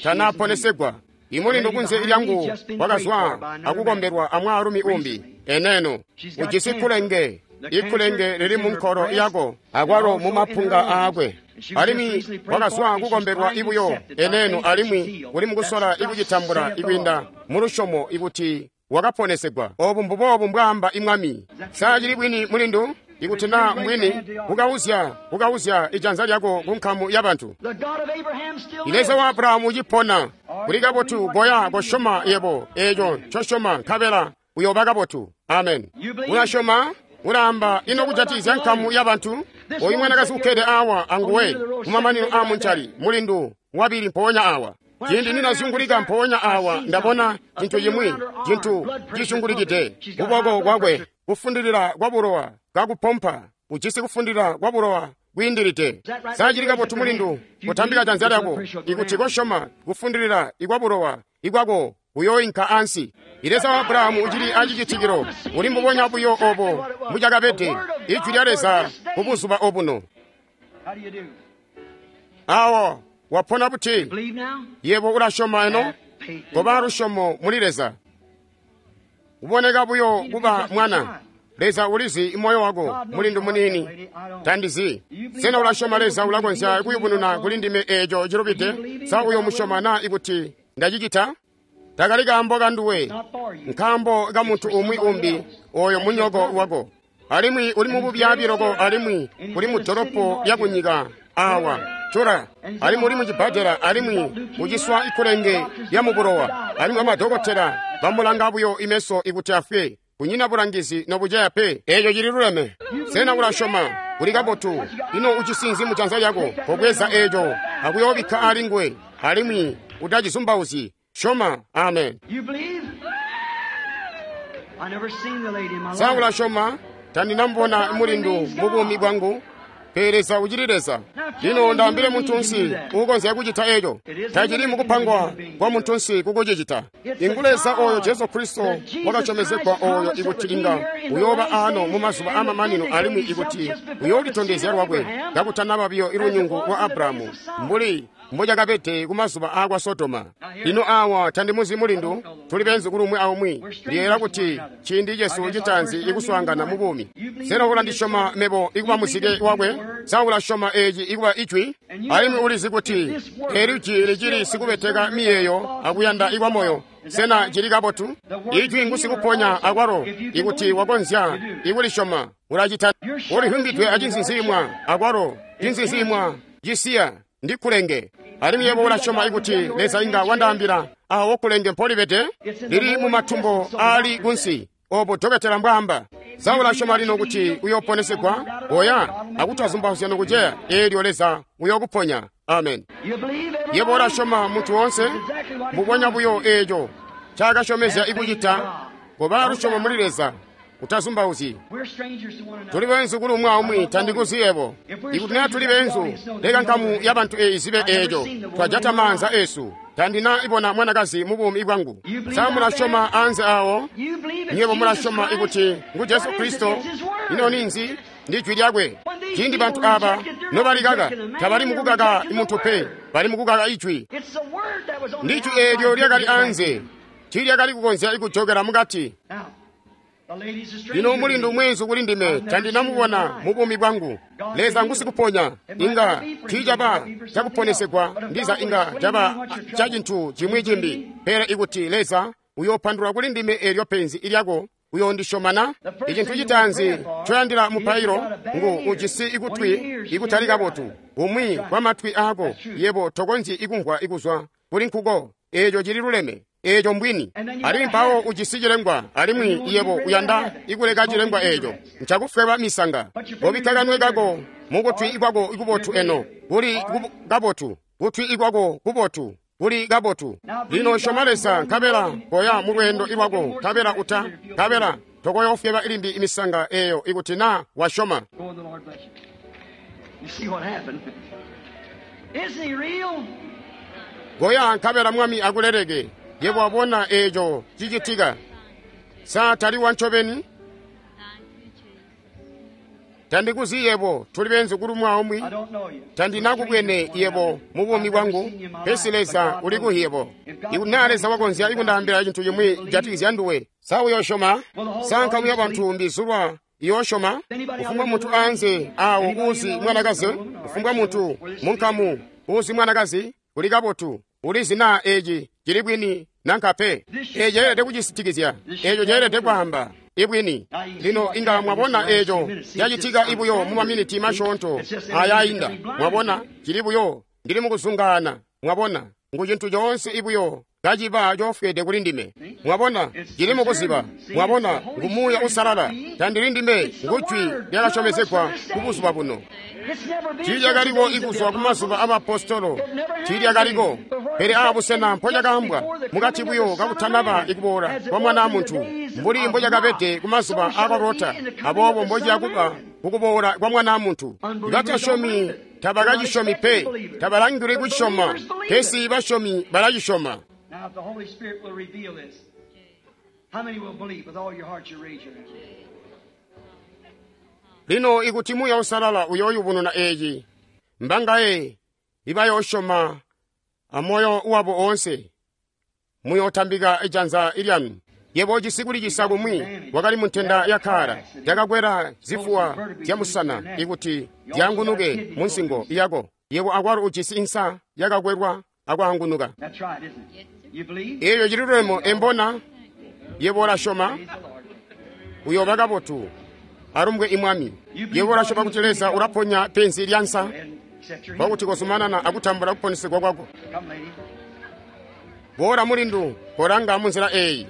tanaponesegwa. Imulindu kunze lyangu wakazwa akukombelwa amwaalumi umbi eneno. Ujisi kulenge, ikulenge lili munkolo yako akwalo mumapunga aakwe. Alimwi wakazwa kukombelwa ibuyo eneno, alimwi uli mukusola ikucitambula ikwiinda mulusyomo ikuti wakaponesegwa. Obu mbuboobu mbwaamba imwami. Sa cili bwini mulindu? Ikuti naa mbwini, kukauzya kukauzya ijanza lyako ku nkamu yabantu. Leza wa Abrahamu ucipona. Kuli kabotu, goya kosyoma yebo eeco ncosyoma, nkabela uyooba kabotu. Amen. Ulasyoma? Ulaamba ino kujatikizya nkamu yabantu? Oyu mwanakazi ukkede awa anguwe kumamanino aamuncali, mulindu wabili mpoonya awa. Ciindi ninazyungulika mpoonya awa, ndabona cintu cimwi, cintu cisyungulikide kuboko kwakwe, kufundilila kwa bulowa kakupompa, ujisi kufundilila kwa bulowa kwiindilide. Sa cili kabotu mulindu? Kutambika janza lyako ikuti kosyoma kufundilila ikwa bulowa ikwako uyooinka ansi. Leza wa Abrahamu ucili acicitikilo, uli mbubonya buyo obo mbucakabede ijwi lya Leza kubuzuba obuno. Awo wapona buti? Yebo ulasyoma eno? Koba lusyomo muli Leza. Kuboneka buyo kuba mwana. Leza ulizi moyo wako, mulindu muniini. Tandizi. Sena ulasyoma Leza ulakonzya kuyubununa kuli ndime eeco cilubide? Sa uyomusyoma na ikuti ndacicita? Takali kaambo kanduwe, nkaambo ka muntu umwi umbi, oyo munyoko wako. Alimwi uli mububyaabi loko, alimwi uli mu dolopo lya kunyika awa cura, alimwi uli mucibbadela, alimwi uciswa ikulenge lya mubulowa, alimwi amadokotela bamulanga buyo imeso ikuti afwe. Kunyina bulangizi nobuceya pe. Eeco cili luleme. Sena ulasyoma? Kuli kabotu. Ino ucisinzi mujanza lyako? Kobweza eeco akuyoobikka ali nguwe, alimwi utacizumbauzyi. Syoma. Amen. Sa ulasyoma? Tandinamubona mulindu mubuumi bwangu, pele Leza ucili Leza. Lino ndaambile muntunsi uukonzya kucita eeco. Tacili mukupangwa kwa muntunsi kukucicita. Ingu Leza oyo Jesu Kristo wakasyomezegwa oyo ikuti inga uyooba aano mumazuba amamanino, alimwi ikuti uyoolitondezya lwakwe kakutanaba biyo ilunyungu lwa Abrahamu mbuli mbocakabede kumazuba aakwa Sodoma. Lino awa tandimuzi mulindu, tuli benzi kulumwi aumwi. Ndiyeera kuti ciindi cesu citaanzi ikuswaangana mu buumi. Sena ulandisyoma mebo ikuba muzike wakwe? Sa ulasyoma eeci ikuba ijwi? Alimwi ulizi kuti eli jwi licili sikubeteka miyeeyo akuyanda ikwa moyo. Sena cili kabotu? Ijwi ngusikuponya akwalo ikuti wakonzya ikulisyoma ulacita. Ulihumbidwe acinzinziimwa akwalo cinzinziimwa cisiya ndi kulenge. Alimwi yebo ulasyoma ikuti Leza inga wandaambila awo kulenge mpolibede? Lili mumatumbo aali kunsi, obo dokotela mbwaamba. Sa ulasyoma lino kuti uyooponesegwa? Oya akutazumbauzya nokuceya, eelyo Leza uyookuponya. Amen. Yebo ulasyoma muntu woonse? Mbubonya buyo eeco ncaakasyomezya ikucita. Koba lusyomo muli Leza, utazumbauzyi. Tuli beenzu kuli umwi aumwi, tandikuzi yebo. Ikuti naa tuli beenzu, leka nkamu ya bantu eeyi zibe eeco. Twajata maanza eesu. Tandina ibona mwanakazi mu buumi bwangu. Sa mulasyoma anze awo? Nywebo mulasyoma ikuti ngu Jesu Kristo? Ino ninzi? Ndi jwi lyakwe. Ciindi bantu aaba nobalikaka, tabali mukukaka muntu pe, bali mukukaka ijwi. Ndi jwi eelyo lyakali anze, tiilyakali kukonzya kujokela mukati. Lino mulindu mweenzu kuli ndime, tandinamubona mu buumi bwangu. Leza ngusikuponya. Inga tiicaba cakuponesegwa, ndiza inga caba ca cintu cimwi cimbi. Pele ikuti Leza uyoopandulula kuli ndime eelyo penzi ilyako, uyoondisyoma na? Icintu citaanzi ncoyandila mupailo ngu ujisi ikutwi ikutali kabotu. Umwi kwa matwi aako yebo tokonzyi ikumvwa ikuzwa kuli nkuko. Eeco cili luleme. Eeco mbwini. Alimwi mpawo ujisi cilengwa, alimwi yebo uyanda ikuleka cilengwa eeco. Ncakufweba misanga. Kobikka kanwe kako mukutwi ikwako ikubotu eno. Kuli kabotu. Kutwi ikwako kubotu. Kuli kabotu. Lino syoma Leza, nkabela koya mu lweendo iwako, nkabela uta, nkabela tokoyoofweba ilimbi imisanga eeyo ikuti naa wasyoma. Goya nkabela Mwami akuleleke. Yebo wabona eeco cicitika. Sa tali wancobeni? Tandikuzi yebo, tuli benzu kuli umwi aumwi. Tandinakubwene yebo mu buumi bwangu, pesi Leza uli kuhi yebo. Ikuti naa Leza wakonzya ikundaambila cintu cimwi kujatikizya nduwe, sa uyoosyoma? Sa nkamu ya bantu mbizulwa iyoosyoma? Kufumbwa muntu anze awo uuzi mwanakazi, kufumbwa muntu munkamu uuzi mwanakazi, kuli kabotu. Ulizi naa eeci cili bwini nanka pe. Eeci ceelede kucisitikizya. Eeco ceelede kwaamba ibwini. Lino inga mwabona eeco cacitika ibuyo mu maminiti masyoonto ayainda. Mwabona cili buyo ndili mukuzungaana. Mwabona ngu cintu coonse ibuyo kaciba cofwede kuli ndime. Mwabona cili mukuziba. Mwabona ngu Muuya Uusalala. Tandili ndime, ngu jwi lyakasyomezegwa ku buzuba buno. Tiilyakaliko ikuzwa kumazuba abaapostolo, tiilyakaliko. Pele aabusena mpocakaambwa mukati buyo kakutanaba ikuboola kwa Mwana Muntu, mbuli mbocakabede kumazuba aakwa Lota, aboobo mbociyakuba kukuboola kwa Mwana Muntu. Batasyomi tabakacisyomi pe, tabalangilwi kucisyoma, pesi basyomi balacisyoma. Lino ikuti Muuya Uusalala uyooyubununa eeci, mbangaye ibayoosyoma amoyo wabo oonse? Muyotambika janza lyanu. Yebo ujisi kulicisa kumwi wakali muntenda ya kkaala yakakwela zifuwa zyamusana ikuti zyaangunuke munsingo yako. Yebo akwalo ujisi insa yakakwelwa akwaangunuka. Eeyo cililwemo embona. Yebo ulasyoma uyooba kabotu. Alumbwe imwami. Yebo ulasyoma kuti Leza ulaponya penzi lyansa kwakuti kozumanana akutambula kuponesegwa kwako. Boola mulindu, kolanga munzila eeyi.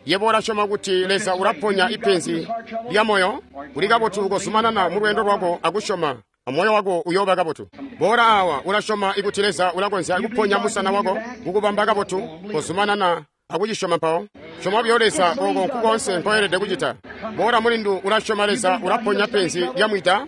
Yebo ulasyoma kuti Leza ulaponya ipenzi lya moyo. Uli kabotu kozumanana mu lweendo lwako akusyoma, moyo wako uyooba kabotu. Boola awa, ulasyoma ikuti Leza ulakonzya kuponya musana wako kukubamba kabotu. Kozumanana akucisyoma mpawo. Syoma buyo Leza oko nkukoonse nkoyelede kucita. Boola mulindu, ulasyoma Leza ulaponya penzi lya mwida.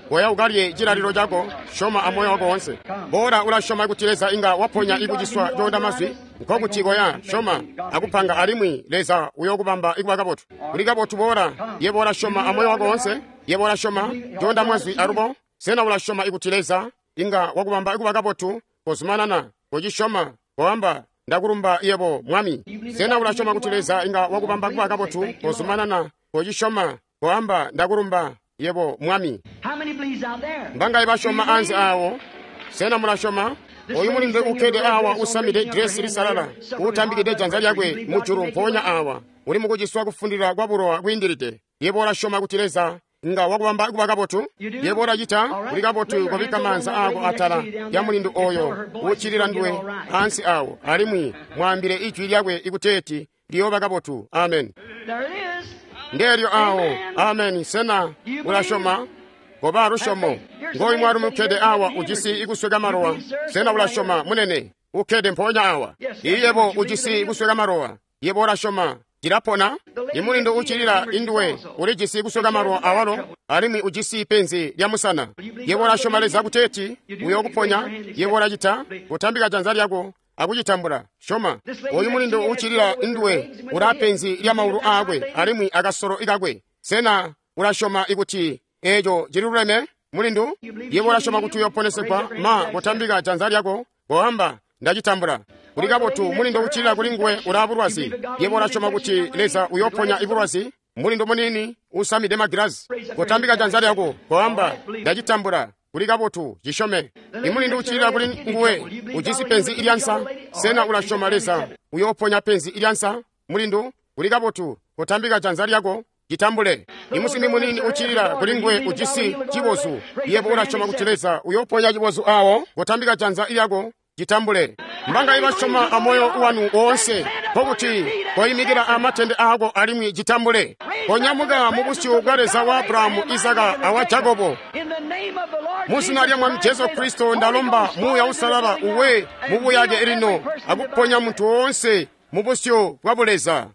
Koya ukalye cilalilo cako, syoma amoyo wako woonse. Boola ulasyoma kuti Leza inga waponya ikuciswa coonda mazwi. Nkokuti koya, syoma akupanga alimwi Leza uyokubamba ikuba kabotu. Uli kabotu boola. Yebo ulasyoma amoyo wako woonse. Yebo ulasyoma coonda mazwi alubo. Sena ulasyoma ikuti Leza inga wakubamba ikuba kabotu? Kozumanana kocisyoma, koamba ndakulumba yebo mwami. Sena ulasyoma kuti Leza inga wakubamba kuba kabotu? Kozumanana kocisyoma, koamba ndakulumba yebo mwami. Mbangaye basyoma anze awo? Sena mulasyoma? Oyu mulindu ukkede awa usamide dresi lisalala, utambikide janza lyakwe mujulu mpoonya awa, uli mukuciswa kufundila kwa bulowa kwiindilide. Yebo ulasyoma kuti Leza nga wakubamba kuba kabotu? Yebo ulacita. Uli kabotu kobikka maanza ako atala ya mulindu oyo uccilila nduwe ansi awo, alimwi mwaambile ijwi lyakwe ikuteeti liyooba kabotu. Amen. Ndeelyo awo. Amen. Sena ulasyoma? Koba lusyomo. Ngoyu mwaalumi ukkede awa ujisi ikusweka malowa. Sena ulasyoma munene? Ukkede mpoonya awa. Iyebo ujisi ikusweka malowa. Yebo ulasyoma cilapona? Imulindu uccilila induwe ulijisi kusweka malowa awalo, alimwi ujisi penzi lya musana. Yebo ulasyoma Leza kuteeti uyokuponya? Yebo ulacita. Kutambika janza lyako akucitambula. Syoma. Oyu mulindu uccilila induwe ula penzi lya maulu aakwe alimwi akasolo ikakwe. Sena ulasyoma ikuti eeco cililuleme mulindu? Yebo ulasyoma kuti uyoponesegwa? Ma kutambika janza lyako koamba ndacitambula. Uli kabotu mulindu uccilila kuli nguwe ulaa bulwazi. Yebo ulasyoma kuti Leza uyoponya ibulwazi? Mulindu munini usamide magilazi, kutambika janza lyako koamba ndacitambula. Uli kabotu, cisyome. Imulindu uccilila kuli nguwe ujisi penzi ilyansa. Sena ulasyoma Leza uyoponya penzi ilyansa? Mulindu, uli kabotu, kutambika janza lyako citambule. Imusimbi munini uccilila kuli nguwe ujisi cibozu. Yebo ulasyoma kuti Leza uyoponya cibozu awo? Kutambika janza lyako citambule. Mbangaye basyoma amoyo wanu woonse, nkokuti koyimikila amatende aako alimwi citambule. Konyamuka mu busyu bwa Leza wa Abrahamu, Izaka awa Jakobo. Muzina lya Mwami Jesu Kristo ndalomba Muuya Uusalala uwe mubuyake lino akuponya muntu woonse mu busyu bwa Buleza.